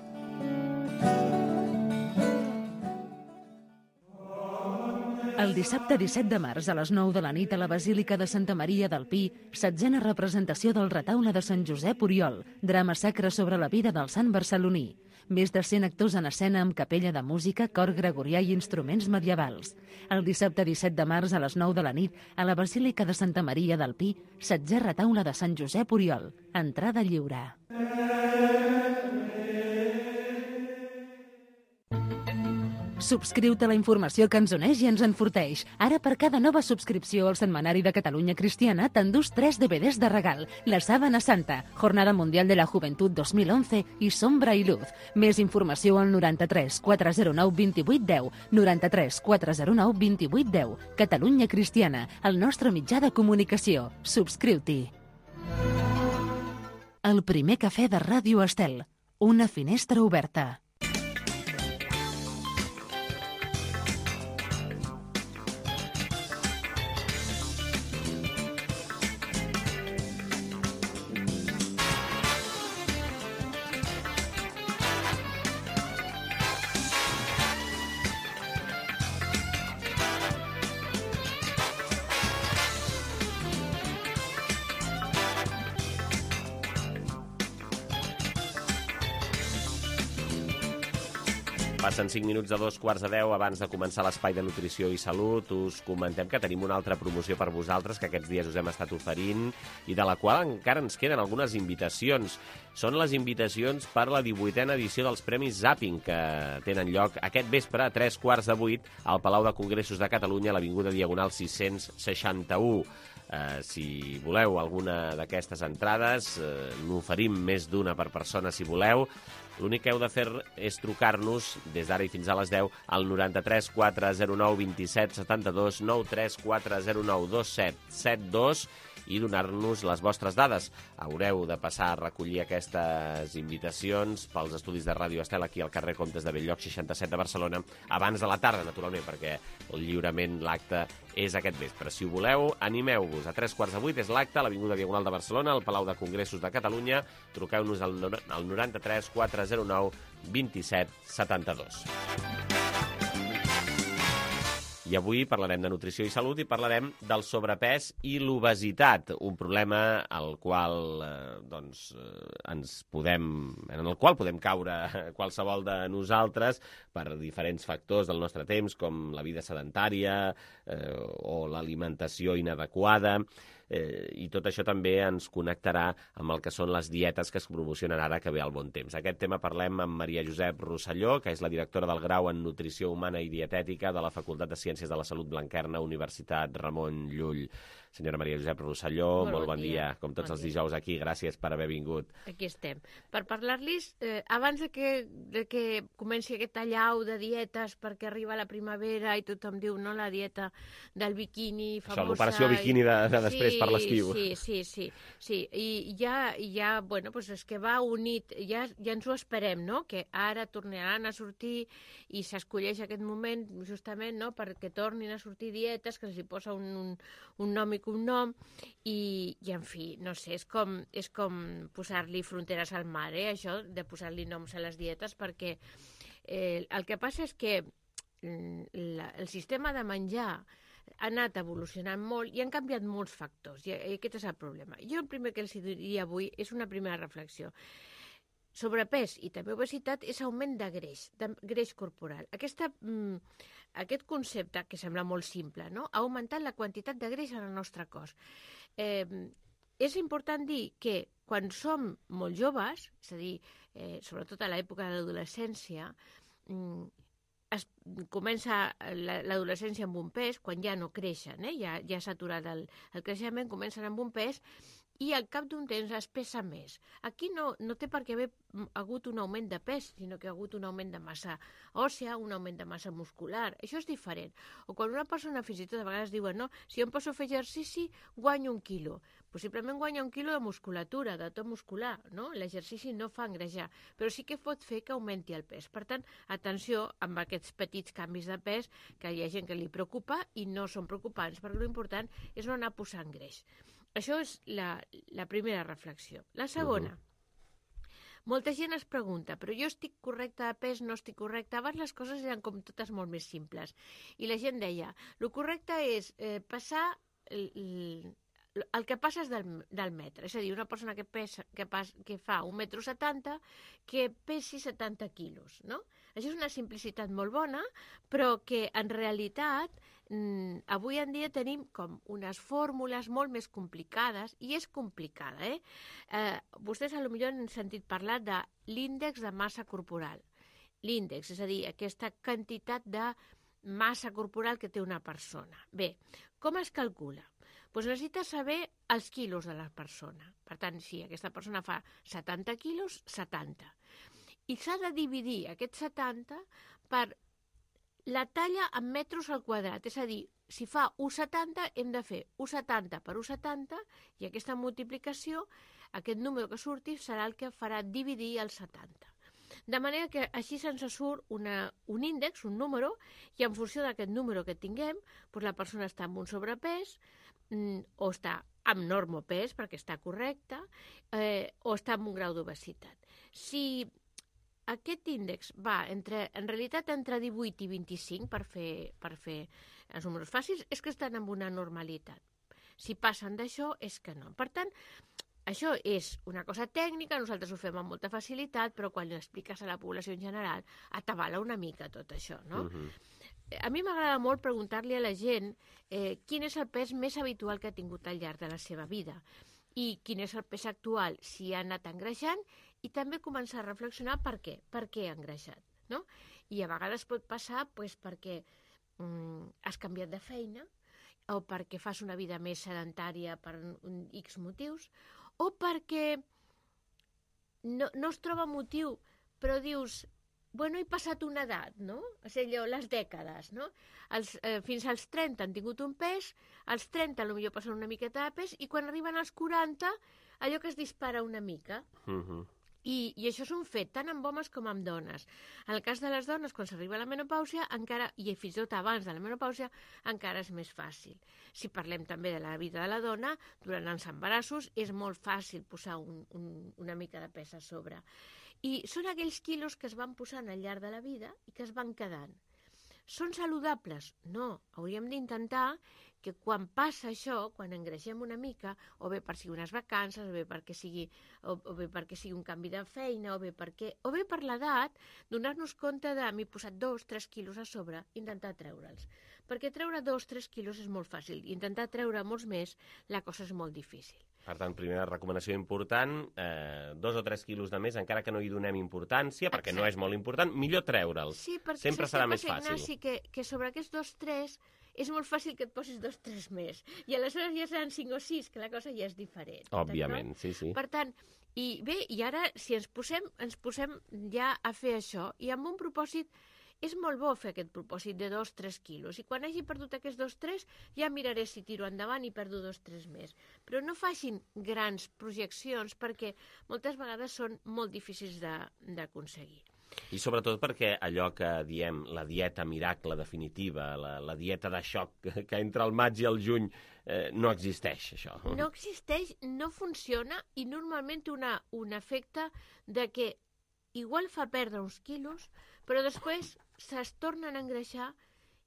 El dissabte disset de març a les nou de la nit a la Basílica de Santa Maria del Pi, setzena representació del retaule de Sant Josep Oriol, drama sacre sobre la vida del sant barceloní. Més de cent actors en escena amb capella de música, cor gregorià i instruments medievals. El dissabte disset de març a les nou de la nit a la Basílica de Santa Maria del Pi, setzè retaule de Sant Josep Oriol. Entrada lliure. Subscriu-te a la informació que ens uneix i ens enforteix. Ara, per cada nova subscripció al Setmanari de Catalunya Cristiana, t'endús tres D V Ds de regal. La Sábana Santa, Jornada Mundial de la Juventud dos mil once i Sombra i Luz. Més informació al noranta-tres quatre zero nou vint vuit deu, noranta-tres quatre zero nou vint vuit deu. Catalunya Cristiana, el nostre mitjà de comunicació. Subscriu-t'hi. El primer cafè de Ràdio Estel. Una finestra oberta. Passen cinc minuts de dos quarts de deu. Abans de començar l'espai de nutrició i salut, us comentem que tenim una altra promoció per vosaltres que aquests dies us hem estat oferint i de la qual encara ens queden algunes invitacions. Són les invitacions per la divuitena edició dels Premis Zapping, que tenen lloc aquest vespre a tres quarts de vuit al Palau de Congressos de Catalunya, a l'Avinguda Diagonal sis-cents seixanta-u. Uh, si voleu alguna d'aquestes entrades, uh, n'oferim més d'una per persona si voleu. L'únic que heu de fer és trucar-nos des d'ara i fins a les deu al noranta-tres quatre zero nou vint set setanta-dos, noranta-tres quatre zero nou dos set set dos i donar-nos les vostres dades. Haureu de passar a recollir aquestes invitacions pels estudis de Ràdio Estel aquí al carrer Comtes de Bell-lloc seixanta-set de Barcelona abans de la tarda, naturalment, perquè el lliurament, l'acte, és aquest vespre. Si ho voleu, animeu-vos. A tres quarts de vuit és l'acte a l'Avinguda Diagonal de Barcelona, al Palau de Congressos de Catalunya. Truqueu-nos al noranta-tres quatre zero nou vint set setanta-dos. I avui parlarem de nutrició i salut i parlarem del sobrepès i l'obesitat, un problema al qual eh, doncs, eh, ens podem, en el qual podem caure qualsevol de nosaltres per diferents factors del nostre temps, com la vida sedentària eh, o l'alimentació inadequada. Eh, i tot això també ens connectarà amb el que són les dietes que es promocionen ara que ve el bon temps. Aquest tema parlem amb Maria Josep Rosselló, que és la directora del grau en Nutrició Humana i Dietètica de la Facultat de Ciències de la Salut Blanquerna, Universitat Ramon Llull. Senyora Maria Josep Rosselló, molt, molt bon, bon dia. dia. Com tots bon els dijous aquí, gràcies per haver vingut. Aquí estem. Per parlar-los, eh, abans de que, de que comenci aquest allau de dietes perquè arriba la primavera i tothom diu, no, la dieta del biquini famosa... Això, l'operació biquini de, de després sí, per l'estiu. Sí, sí, sí. sí. I ja, ja, bueno, pues és que va unit, ja, ja ens ho esperem, no?, que ara tornaran a sortir i s'escolleix aquest moment justament, no?, perquè tornin a sortir dietes que els hi posa un, un, un nom i cognom i, i, en fi, no sé, és com, és com posar-li fronteres al mar, eh, això, de posar-li noms a les dietes, perquè eh, el que passa és que la, el sistema de menjar ha anat evolucionant molt i han canviat molts factors, i aquest és el problema. Jo el primer que els diria avui és una primera reflexió. Sobrepès i també obesitat és augment de greix, de greix corporal. Aquesta, mm, aquest concepte, que sembla molt simple, no?, ha augmentat la quantitat de greix en el nostre cos. Eh, és important dir que quan som molt joves, és a dir, eh, sobretot a l'època de l'adolescència, mm, es comença l'adolescència amb un pes, quan ja no creixen, eh? ja, ja s'ha aturat el, el creixement, comencen amb un pes i al cap d'un temps es pesa més. Aquí no, no té per què haver hagut un augment de pes, sinó que ha hagut un augment de massa òssea, un augment de massa muscular. Això és diferent. O quan una persona fins i tot a vegades diuen, no, si jo em poso a fer exercici, guanyo un quilo. Possiblement guanya un quilo de musculatura, de to muscular, no? L'exercici no fa engrejar, però sí que pot fer que augmenti el pes. Per tant, atenció amb aquests petits canvis de pes, que hi ha gent que li preocupa i no són preocupants, perquè l'important és no anar posant greix. Això és la, la primera reflexió. La segona, uh-huh. molta gent es pregunta, però jo estic correcta de pes, no estic correcta? Abans les coses eren com totes molt més simples. I la gent deia, el correcte és eh, passar... El, el, el que passa és del, del metre, és a dir, una persona que, pesa, que, pas, que fa un metro setanta que pesi setanta quilos, no? Això és una simplicitat molt bona, però que en realitat mm, avui en dia tenim com unes fórmules molt més complicades, i és complicada, eh? eh vostès potser han sentit parlar de l'índex de massa corporal. l'índex, és a dir, aquesta quantitat de massa corporal que té una persona. Bé, com es calcula? Doncs necessita saber els quilos de la persona. Per tant, si aquesta persona fa setanta quilos, setanta. I s'ha de dividir aquest setanta per la talla en metres al quadrat. És a dir, si fa u coma setanta, hem de fer u coma setanta per u coma setanta i aquesta multiplicació, aquest número que surti, serà el que farà dividir el setanta. De manera que així se'ns surt una, un índex, un número, i en funció d'aquest número que tinguem, doncs la persona està amb un sobrepès, mm, o està amb normopès, perquè està correcta, eh, o està amb un grau d'obesitat. Si aquest índex va, entre, en realitat, entre divuit i vint-i-cinc, per fer, per fer els números fàcils, és que estan amb una normalitat. Si passen d'això, és que no. Per tant, això és una cosa tècnica, nosaltres ho fem amb molta facilitat, però quan ho expliques a la població en general, atabala una mica tot això, no? Uh-huh. A mi m'agrada molt preguntar-li a la gent eh, quin és el pes més habitual que ha tingut al llarg de la seva vida i quin és el pes actual, si ha anat engreixant, i també començar a reflexionar per què, per què ha engreixat, no? I a vegades pot passar pues, perquè mm, has canviat de feina, o perquè fas una vida més sedentària per un X motius, o perquè no, no es troba motiu, però dius, bueno, he passat una edat, no? És allò, les dècades, no? Els, eh, fins als trenta han tingut un pes, als trenta potser passen una miqueta de pes, i quan arriben als quaranta, allò que es dispara una mica. Uh-huh. I, I això és un fet, tant amb homes com amb dones. En el cas de les dones, quan s'arriba a la menopàusia, encara, i fins i tot abans de la menopàusia, encara és més fàcil. Si parlem també de la vida de la dona, durant els embarassos és molt fàcil posar un, un, una mica de pes a sobre. I són aquells quilos que es van posant al llarg de la vida i que es van quedant. Són saludables? No. Hauríem d'intentar que quan passa això, quan engreixem una mica, o bé per sigui unes vacances, o bé perquè sigui, o, o bé perquè sigui un canvi de feina, o bé, perquè, o bé per l'edat, donar-nos compte de m'he posat dos, tres quilos a sobre, intentar treure'ls. Perquè treure dos, tres quilos és molt fàcil, i intentar treure molts més, la cosa és molt difícil. Per tant, primera recomanació important, eh, dos o tres quilos de més, encara que no hi donem importància, perquè Exacte. No és molt important, millor treure'ls. Sí, perquè sempre serà més fàcil. Ignasi, que, que sobre aquests dos, tres, és molt fàcil que et posis dos, tres més. I aleshores ja seran cinc o sis, que la cosa ja és diferent. Òbviament, sí, sí. Per tant, i bé, i ara, si ens posem, ens posem ja a fer això, i amb un propòsit, és molt bo fer aquest propòsit de dos tres quilos, i quan hagi perdut aquests dos tres ja miraré si tiro endavant i perdo dos tres més. Però no facin grans projeccions perquè moltes vegades són molt difícils d'aconseguir. I sobretot perquè allò que diem la dieta miracle definitiva, la, la dieta de xoc que, que entre el maig i el juny eh, no existeix, això. No existeix, no funciona i normalment té una, un efecte de que igual fa perdre uns quilos, però després se'ls tornen a engreixar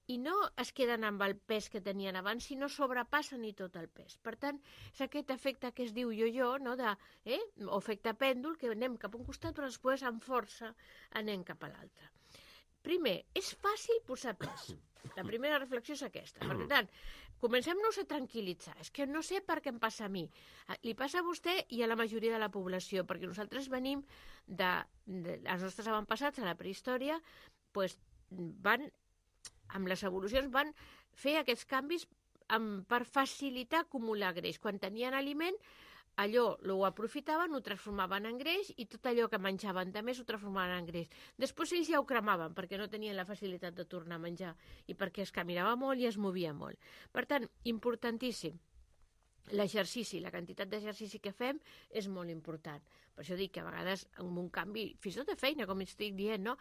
i no es queden amb el pes que tenien abans, sinó sobrepassen i tot el pes. Per tant, és aquest efecte que es diu jo-jo, no? de, eh? o efecte pèndol, que anem cap a un costat, però després amb força anem cap a l'altre. Primer, és fàcil posar pes. La primera reflexió és aquesta. Per tant, comencem-nos a tranquil·litzar. És que no sé per què em passa a mi. Li passa a vostè i a la majoria de la població, perquè nosaltres venim de... de els nostres avantpassats a la prehistòria, pues, van, amb les evolucions, van fer aquests canvis amb, per facilitar acumular greix. Quan tenien aliment, allò ho aprofitaven, ho transformaven en greix i tot allò que menjaven de més ho transformaven en greix. Després ells ja ho cremaven perquè no tenien la facilitat de tornar a menjar i perquè es caminava molt i es movia molt. Per tant, importantíssim. L'exercici, la quantitat d'exercici que fem és molt important. Per això dic que a vegades amb un canvi, fins i tot de feina, com estic dient, no?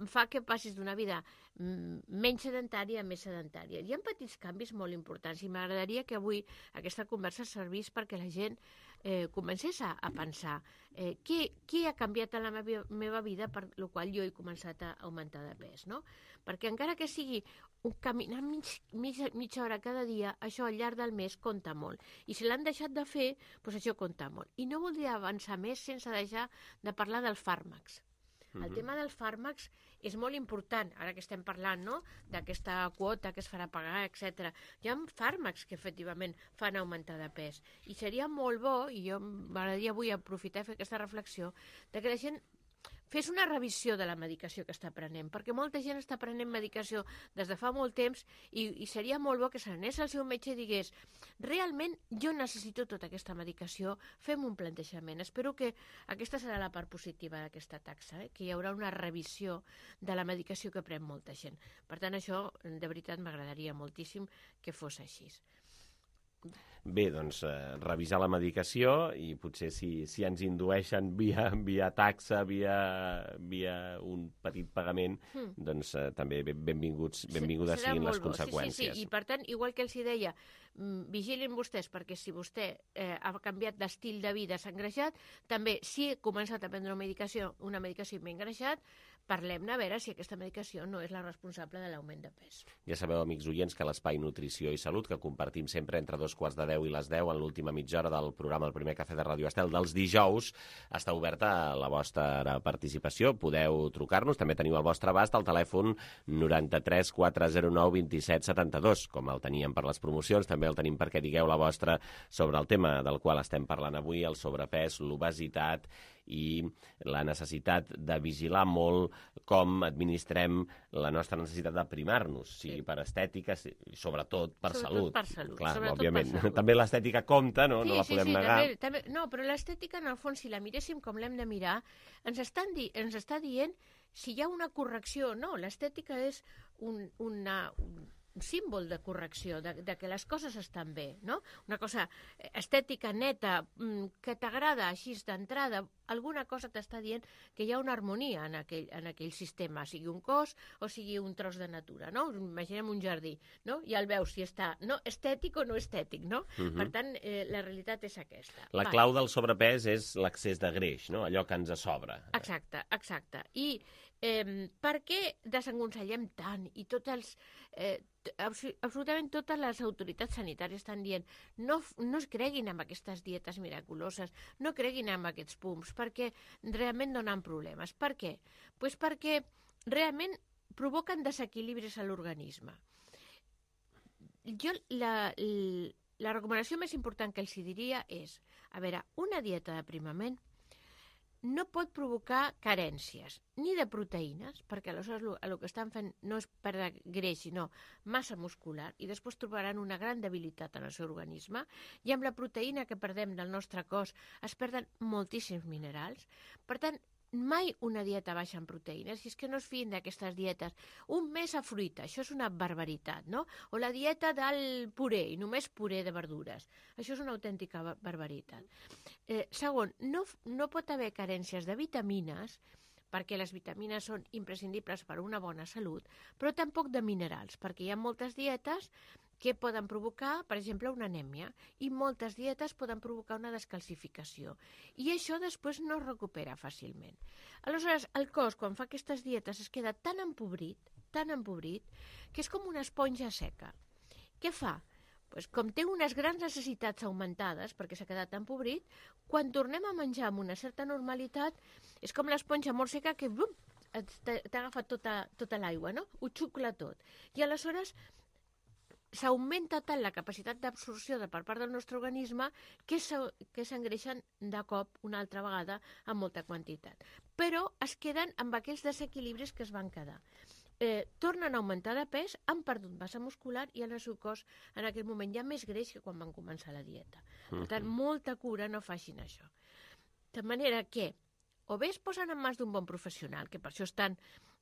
fa que passis d'una vida menys sedentària a més sedentària. Hi ha petits canvis molt importants i m'agradaria que avui aquesta conversa servís perquè la gent eh, comencés a, a pensar eh, què, què ha canviat en la meva, meva vida per la qual jo he començat a augmentar de pes, no? Perquè encara que sigui un caminar mig, mig, mitja hora cada dia, això al llarg del mes compta molt. I si l'han deixat de fer, doncs això compta molt. I no voldria avançar més sense deixar de parlar dels fàrmacs. El uh-huh. tema dels fàrmacs és molt important, ara que estem parlant, no?, d'aquesta quota que es farà pagar, etcètera. Hi ha fàrmacs que efectivament fan augmentar de pes. I seria molt bo, i jo m'agradaria avui aprofitar i fer aquesta reflexió, de que la gent fes una revisió de la medicació que està prenent, perquè molta gent està prenent medicació des de fa molt temps i, i seria molt bo que s'anés al seu metge i digués realment jo necessito tota aquesta medicació, fem un plantejament. Espero que aquesta serà la part positiva d'aquesta taxa, eh? Que hi haurà una revisió de la medicació que pren molta gent. Per tant, això de veritat m'agradaria moltíssim que fos així. Bé, doncs, eh, revisar la medicació i potser si, si ens indueixen via, via taxa, via, via un petit pagament, mm. doncs eh, també benvinguts, benvingudes siguin les conseqüències. Sí, sí, sí, i per tant, igual que els hi deia, vigilin vostès, perquè si vostè eh, ha canviat d'estil de vida, s'ha engreixat, també si ha començat a prendre una medicació, una medicació i m'he engreixat, parlem-ne a veure si aquesta medicació no és la responsable de l'augment de pes. Ja sabeu, amics oients, que l'Espai Nutrició i Salut, que compartim sempre entre dos quarts de deu i les deu en l'última mitja hora del programa El Primer Cafè de Ràdio Estel dels dijous, està oberta a la vostra participació. Podeu trucar-nos, també teniu al vostre abast el telèfon noranta-tres quatre zero nou vint set setanta-dos, com el teníem per les promocions, també el tenim perquè digueu la vostra sobre el tema del qual estem parlant avui, el sobrepès, l'obesitat i la necessitat de vigilar molt com administrem la nostra necessitat d'aprimar-nos, sigui sí. per estètica, i sobretot per sobretot salut. Per salut. Clar, sobretot òbviament. Per salut. També l'estètica compta, no, sí, no la podem sí, sí, negar. També, també, no, però l'estètica, en el fons, si la miréssim com l'hem de mirar, ens, estan di ens està dient si hi ha una correcció o no. L'estètica és un, una... Un, un símbol de correcció, de, de que les coses estan bé, no? Una cosa estètica, neta, que t'agrada així d'entrada, alguna cosa t'està dient que hi ha una harmonia en aquell, en aquell sistema, sigui un cos o sigui un tros de natura, no? Imaginem un jardí, no? Ja el veus si està no, estètic o no estètic, no? Uh -huh. Per tant, eh, la realitat és aquesta. La Va. clau del sobrepès és l'accés de greix, no? Allò que ens sobra. Exacte, exacte. I eh, per què desaconsellem tant i tots els... Eh, absolutament totes les autoritats sanitàries estan dient no, no es creguin amb aquestes dietes miraculoses, no creguin amb aquests pums, perquè realment donen problemes. Per què? Pues perquè realment provoquen desequilibris a l'organisme. Jo la, la recomanació més important que els diria és, a veure, una dieta d'aprimament no pot provocar carències, ni de proteïnes, perquè aleshores el, el que estan fent no és perdre greix, sinó massa muscular, i després trobaran una gran debilitat en el seu organisme, i amb la proteïna que perdem del nostre cos es perden moltíssims minerals. Per tant, mai una dieta baixa en proteïnes, si és que no es fiïn d'aquestes dietes. Un mes a fruita, això és una barbaritat, no? O la dieta del puré, i només puré de verdures. Això és una autèntica barbaritat. Eh, segon, no, no pot haver carències de vitamines, perquè les vitamines són imprescindibles per a una bona salut, però tampoc de minerals, perquè hi ha moltes dietes que poden provocar, per exemple, una anèmia, i moltes dietes poden provocar una descalcificació. I això després no es recupera fàcilment. Aleshores, el cos, quan fa aquestes dietes, es queda tan empobrit, tan empobrit, que és com una esponja seca. Què fa? Pues, com té unes grans necessitats augmentades, perquè s'ha quedat empobrit, quan tornem a menjar amb una certa normalitat, és com l'esponja molt seca que t'ha agafat tota, tota l'aigua, no? Ho xucla tot. I aleshores s'augmenta tant la capacitat d'absorció per part del nostre organisme que s'engreixen de cop una altra vegada amb molta quantitat. Però es queden amb aquells desequilibris que es van quedar. Eh, tornen a augmentar de pes, han perdut massa muscular i en el seu cos en aquell moment hi ha més greix que quan van començar la dieta. Per tant, molta cura, no facin això. De manera que o bé es posen en mans d'un bon professional, que per això estan,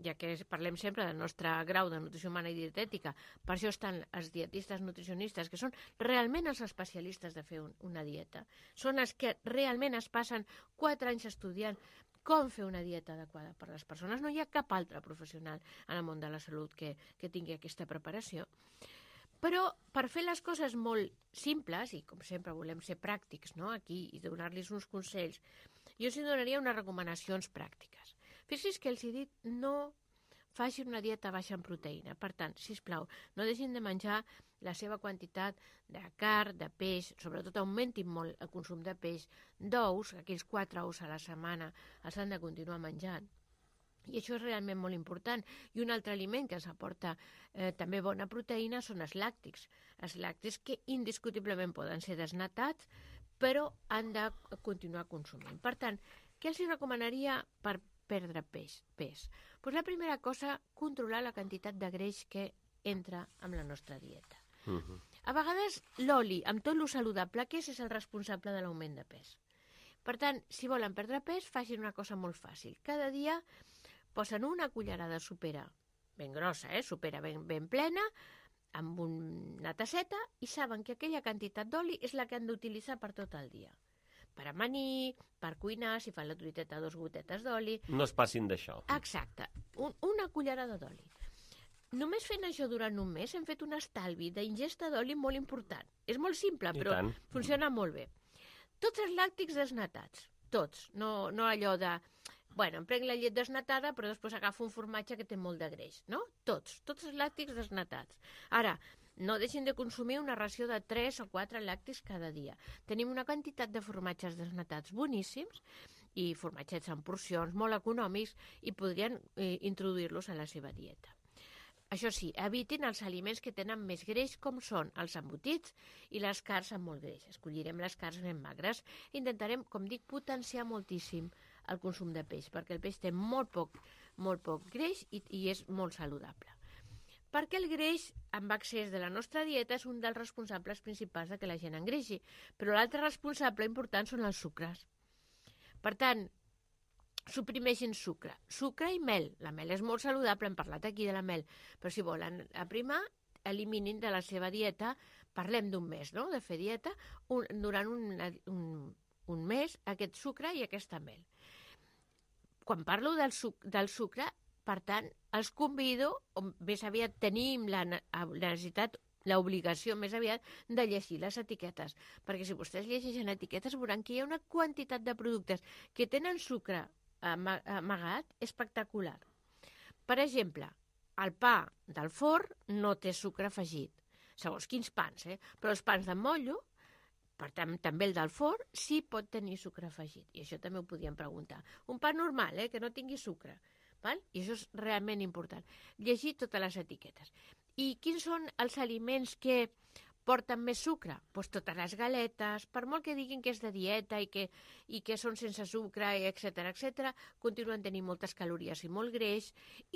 ja que parlem sempre del nostre grau de nutrició humana i dietètica, per això estan els dietistes nutricionistes, que són realment els especialistes de fer un, una dieta. Són els que realment es passen quatre anys estudiant com fer una dieta adequada per a les persones. No hi ha cap altre professional en el món de la salut que, que tingui aquesta preparació. Però per fer les coses molt simples, i com sempre volem ser pràctics, no?, aquí, i donar-los uns consells, jo els donaria unes recomanacions pràctiques. Fixi's que els he dit no facin una dieta baixa en proteïna. Per tant, sisplau, no deixin de menjar la seva quantitat de carn, de peix, sobretot augmentin molt el consum de peix, d'ous, aquells quatre ous a la setmana els han de continuar menjant. I això és realment molt important. I un altre aliment que ens aporta eh, també bona proteïna són els làctics. Els làctics que indiscutiblement poden ser desnatats, però han de continuar consumint. Per tant, què els recomanaria per perdre pes? pes? Pues la primera cosa, controlar la quantitat de greix que entra en la nostra dieta. Uh-huh. A vegades l'oli, amb tot lo saludable que és, és el responsable de l'augment de pes. Per tant, si volen perdre pes, facin una cosa molt fàcil. Cada dia posen una cullerada de sopera, ben grossa, eh? Sopera ben, ben plena, amb una tasseta, i saben que aquella quantitat d'oli és la que han d'utilitzar per tot el dia. Per amanir, per cuinar, si fan la truiteta, dos gotetes d'oli. No es passin d'això. Exacte, un, una cullerada d'oli. Només fent això durant un mes hem fet un estalvi d'ingesta d'oli molt important. És molt simple, però funciona molt bé. Tots els làctics desnatats, tots. No, no allò de, bueno, em prenc la llet desnatada, però després agafo un formatge que té molt de greix, no? Tots, tots els làctics desnatats. Ara, no deixin de consumir una ració de tres o quatre làctics cada dia. Tenim una quantitat de formatges desnatats boníssims i formatgets en porcions molt econòmics i podrien eh, introduir-los a la seva dieta. Això sí, evitin els aliments que tenen més greix, com són els embotits i les carns amb molt greix. Escollirem les carns ben magres. Intentarem, com dic, potenciar moltíssim el consum de peix, perquè el peix té molt poc, molt poc greix i, i és molt saludable. Perquè el greix amb excés de la nostra dieta és un dels responsables principals de que la gent engreixi, però l'altre responsable important són els sucres. Per tant, suprimeixin sucre. Sucre i mel. La mel és molt saludable, hem parlat aquí de la mel, però si volen aprimar, eliminin de la seva dieta, parlem d'un mes, no?, de fer dieta, un, durant un, un, un mes, aquest sucre i aquesta mel. Quan parlo del, suc, del sucre, per tant, els convido, o més aviat tenim la, la necessitat, l'obligació més aviat de llegir les etiquetes, perquè si vostès llegeixen etiquetes veuran que hi ha una quantitat de productes que tenen sucre amagat espectacular. Per exemple, el pa del forn no té sucre afegit, segons quins pans, eh? Però els pans de motllo, per tant, també el del forn, sí pot tenir sucre afegit, i això també ho podíem preguntar. Un pa normal, eh? Que no tingui sucre, val? I això és realment important. Llegir totes les etiquetes. I quins són els aliments que porten més sucre? Doncs totes les galetes, per molt que diguin que és de dieta i que, i que són sense sucre, etcètera, etcètera, continuen tenint moltes calories i molt greix,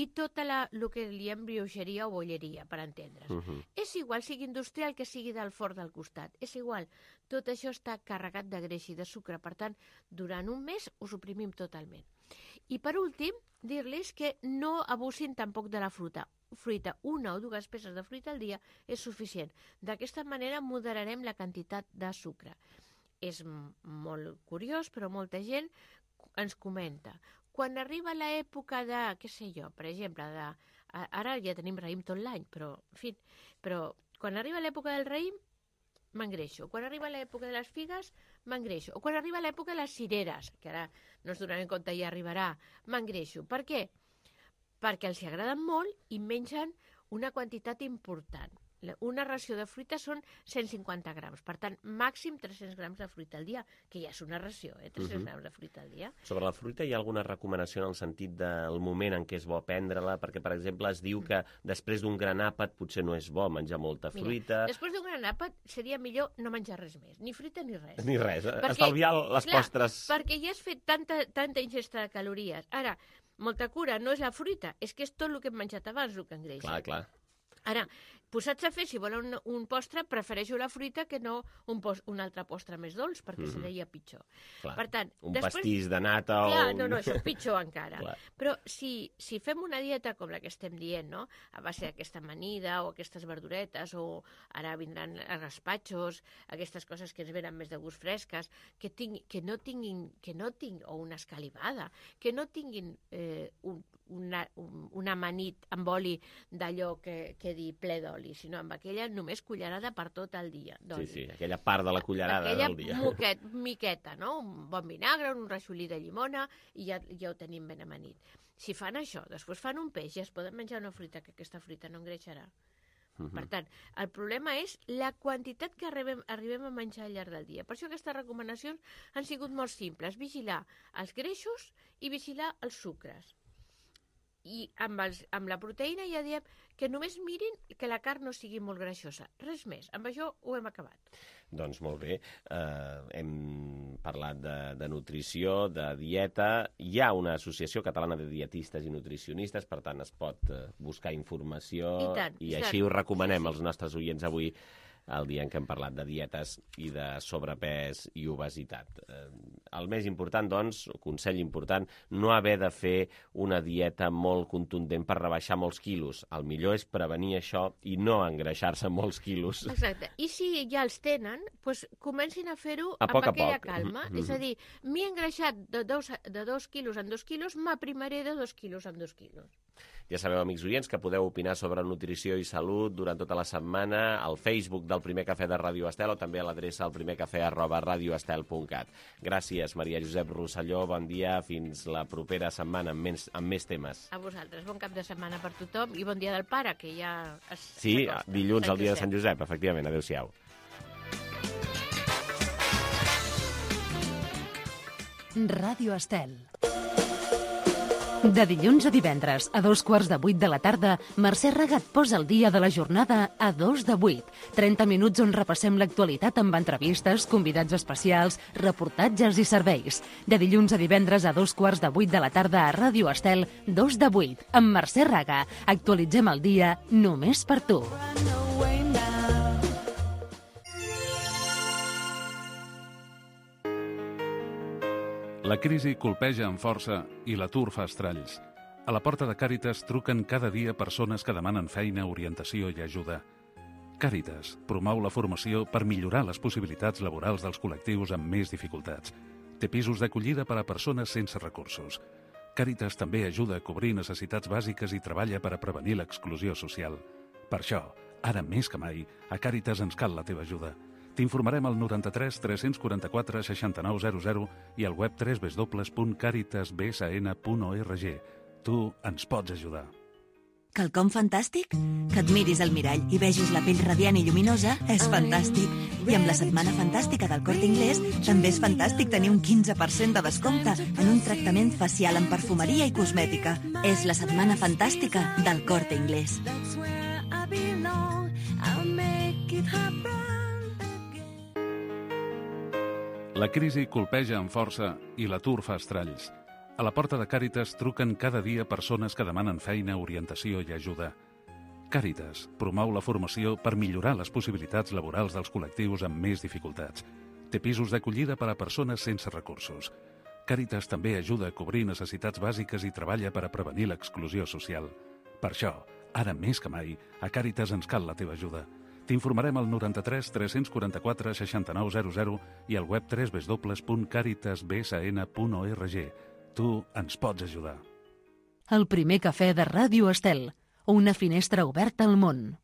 i tota la, el que diem brioixeria o bolleria, per entendre's. Uh-huh. És igual, sigui industrial que sigui del forn del costat, és igual. Tot això està carregat de greix i de sucre, per tant, durant un mes ho suprimim totalment. I per últim, dir-los que no abusin tampoc de la fruita. fruita, una o dues peces de fruita al dia és suficient. D'aquesta manera moderarem la quantitat de sucre. És molt curiós, però molta gent ens comenta. Quan arriba l'època de, què sé jo, per exemple, de, ara ja tenim raïm tot l'any, però, en fi, però quan arriba l'època del raïm, m'engreixo. Quan arriba l'època de les figues, m'engreixo. O quan arriba l'època de les cireres, que ara no ens donem compte i ja arribarà, m'engreixo. Per què? Perquè els agraden molt i mengen una quantitat important. Una ració de fruita són cent cinquanta grams, per tant, màxim tres-cents grams de fruita al dia, que ja és una ració, eh? tres-cents uh-huh. grams de fruita al dia. Sobre la fruita hi ha alguna recomanació en el sentit del moment en què és bo prendre-la? Perquè, per exemple, es diu que després d'un gran àpat potser no és bo menjar molta fruita. Mira, després d'un gran àpat seria millor no menjar res més, ni fruita ni res. Ni res, perquè, estalviar les clar, postres. Perquè ja has fet tanta, tanta ingesta de calories. Ara, molta cura no és la fruita, és que és tot el que hem menjat abans el que engreixa. Clar, clar. Ara, posats a fer, si volen un, un postre, prefereixo la fruita que no un, post, un altre postre més dolç, perquè mm-hmm. seria pitjor. Clar, per tant, un després... pastís de nata o... Clar, no, no, això pitjor encara. Clar. Però si, si fem una dieta com la que estem dient, no?, a base d'aquesta amanida o aquestes verduretes, o ara vindran els gaspatxos, aquestes coses que ens venen més de gust fresques, que, ting, que no tinguin, que no tinc, o una escalivada, que no tinguin eh, un, una, un, un amanit amb oli d'allò que, que dir ple d'oli, sinó amb aquella només cullerada per tot el dia d'oli. Sí, sí, aquella part de la cullerada aquella del dia. Aquella miqueta, no? Un bon vinagre, un raixolí de llimona, i ja, ja ho tenim ben amanit. Si fan això, després fan un peix, ja es poden menjar una fruita, que aquesta fruita no engreixarà. Uh-huh. Per tant, el problema és la quantitat que arribem, arribem a menjar al llarg del dia. Per això aquestes recomanacions han sigut molt simples. Vigilar els greixos i vigilar els sucres. I amb, els, amb la proteïna ja diem que només mirin que la carn no sigui molt greixosa. Res més. Amb això ho hem acabat. Doncs molt bé. Uh, hem parlat de, de nutrició, de dieta. Hi ha una associació catalana de dietistes i nutricionistes, per tant es pot uh, buscar informació I, tant, i i així tant. ho recomanem sí, sí. als nostres oients avui, el dia en què hem parlat de dietes i de sobrepès i obesitat. Eh, el més important, doncs, consell important, no haver de fer una dieta molt contundent per rebaixar molts quilos. El millor és prevenir això i no engreixar-se molts quilos. Exacte. I si ja els tenen, doncs comencin a fer-ho A amb poc a aquella poc. calma. Mm-hmm. És a dir, m'he engreixat de dos, de dos quilos en dos quilos, m'aprimaré de dos quilos en dos quilos. Ja sabeu, amics oients, que podeu opinar sobre nutrició i salut durant tota la setmana al Facebook del Primer Cafè de Ràdio Estel o també a l'adreça alprimercafè arroba radioestel punt cat. Gràcies, Maria Josep Rosselló. Bon dia. Fins la propera setmana amb més, amb més temes. A vosaltres. Bon cap de setmana per tothom i bon dia del pare, que ja es... Sí, dilluns, el dia de Sant Josep, efectivament. Adéu-siau. Ràdio Estel. De dilluns a divendres, a dos quarts de vuit de la tarda, Mercè Raga et posa el dia de la jornada a dos de vuit. trenta minuts on repassem l'actualitat amb entrevistes, convidats especials, reportatges i serveis. De dilluns a divendres a dos quarts de vuit de la tarda a Ràdio Estel, dos de vuit, amb Mercè Raga. Actualitzem el dia només per tu. La crisi colpeja amb força i l'atur fa estralls. A la porta de Càritas truquen cada dia persones que demanen feina, orientació i ajuda. Càritas promou la formació per millorar les possibilitats laborals dels col·lectius amb més dificultats. Té pisos d'acollida per a persones sense recursos. Càritas també ajuda a cobrir necessitats bàsiques i treballa per a prevenir l'exclusió social. Per això, ara més que mai, a Càritas ens cal la teva ajuda. T'informarem al noranta-tres tres quaranta quatre seixanta-nou zero zero i al web w w w punt caritas b s n punt org. Tu ens pots ajudar. Quelcom fantàstic? Que et miris al mirall i vegis la pell radiant i lluminosa és fantàstic. I amb la Setmana Fantàstica del Corte Inglés també és fantàstic tenir un quinze per cent de descompte en un tractament facial en perfumeria i cosmètica. És la Setmana Fantàstica del Corte Inglés. La crisi colpeja amb força i l'atur fa estralls. A la porta de Càritas truquen cada dia persones que demanen feina, orientació i ajuda. Càritas promou la formació per millorar les possibilitats laborals dels col·lectius amb més dificultats. Té pisos d'acollida per a persones sense recursos. Càritas també ajuda a cobrir necessitats bàsiques i treballa per a prevenir l'exclusió social. Per això, ara més que mai, a Càritas ens cal la teva ajuda. T'informarem al noranta-tres tres quaranta quatre seixanta-nou zero zero i al web w w w punt caritas b s n punt org. Tu ens pots ajudar. El primer cafè de Ràdio Estel. Una finestra oberta al món.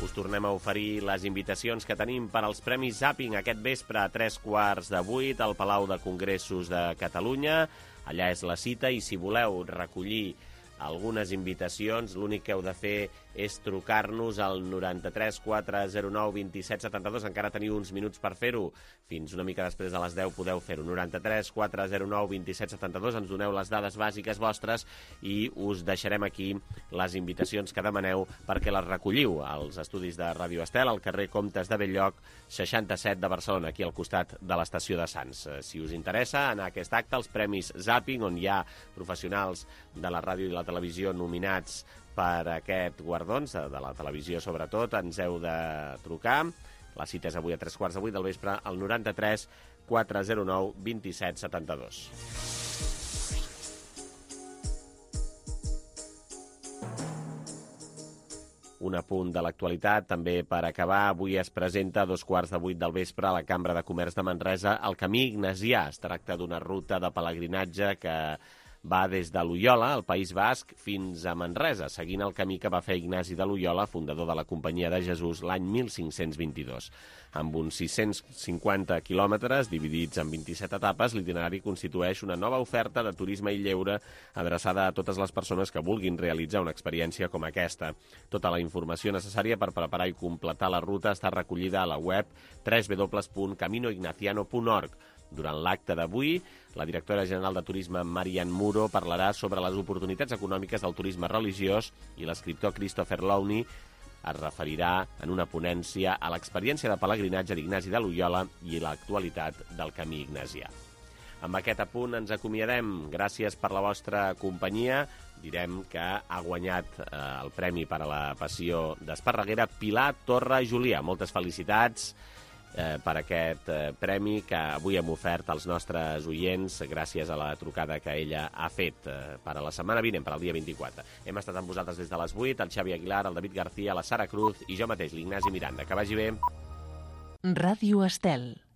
Us tornem a oferir les invitacions que tenim per als Premis Zapping aquest vespre a tres quarts de vuit al Palau de Congressos de Catalunya. Allà és la cita i si voleu recollir algunes invitacions, l'únic que heu de fer és trucar-nos al noranta-tres quatre zero nou vint-i-set setanta-dos. Encara teniu uns minuts per fer-ho. Fins una mica després de les deu podeu fer-ho. noranta-tres quatre zero nou vint-i-set setanta-dos. Ens doneu les dades bàsiques vostres i us deixarem aquí les invitacions que demaneu perquè les recolliu als estudis de Ràdio Estel, al carrer Comtes de Bell-lloc, seixanta-set de Barcelona, aquí al costat de l'estació de Sants. Si us interessa anar a aquest acte, els Premis Zapping, on hi ha professionals de la ràdio i la televisió nominats per aquest guardons, de la televisió sobretot, ens heu de trucar. La cita és avui a tres quarts de vuit del vespre al noranta-tres quatre zero nou vint-i-set setanta-dos. Un apunt de l'actualitat, també per acabar. Avui es presenta a dos quarts de vuit del vespre a la Cambra de Comerç de Manresa el Camí Ignasià. Es tracta d'una ruta de pelegrinatge que va des de Loyola, al País Basc, fins a Manresa, seguint el camí que va fer Ignasi de Loyola, fundador de la Companyia de Jesús, l'any mil cinc-cents vint-i-dos. Amb uns sis-cents cinquanta quilòmetres, dividits en vint-i-set etapes, l'itinerari constitueix una nova oferta de turisme i lleure adreçada a totes les persones que vulguin realitzar una experiència com aquesta. Tota la informació necessària per preparar i completar la ruta està recollida a la web w w w punt camino ignaciano punt org. Durant l'acte d'avui, la directora general de Turisme, Marian Muro, parlarà sobre les oportunitats econòmiques del turisme religiós i l'escriptor Christopher Lowney es referirà en una ponència a l'experiència de pelegrinatge d'Ignasi de Loyola i l'actualitat del camí ignasià. Amb aquest apunt ens acomiadem. Gràcies per la vostra companyia. Direm que ha guanyat eh, el premi per a la passió d'Esparreguera Pilar Torra Julià. Moltes felicitats eh, per aquest eh, premi que avui hem ofert als nostres oients gràcies a la trucada que ella ha fet eh, per a la setmana vinent, per al dia vint-i-quatre. Hem estat amb vosaltres des de les vuit, el Xavi Aguilar, el David García, la Sara Cruz i jo mateix, l'Ignasi Miranda. Que vagi bé. Ràdio Estel.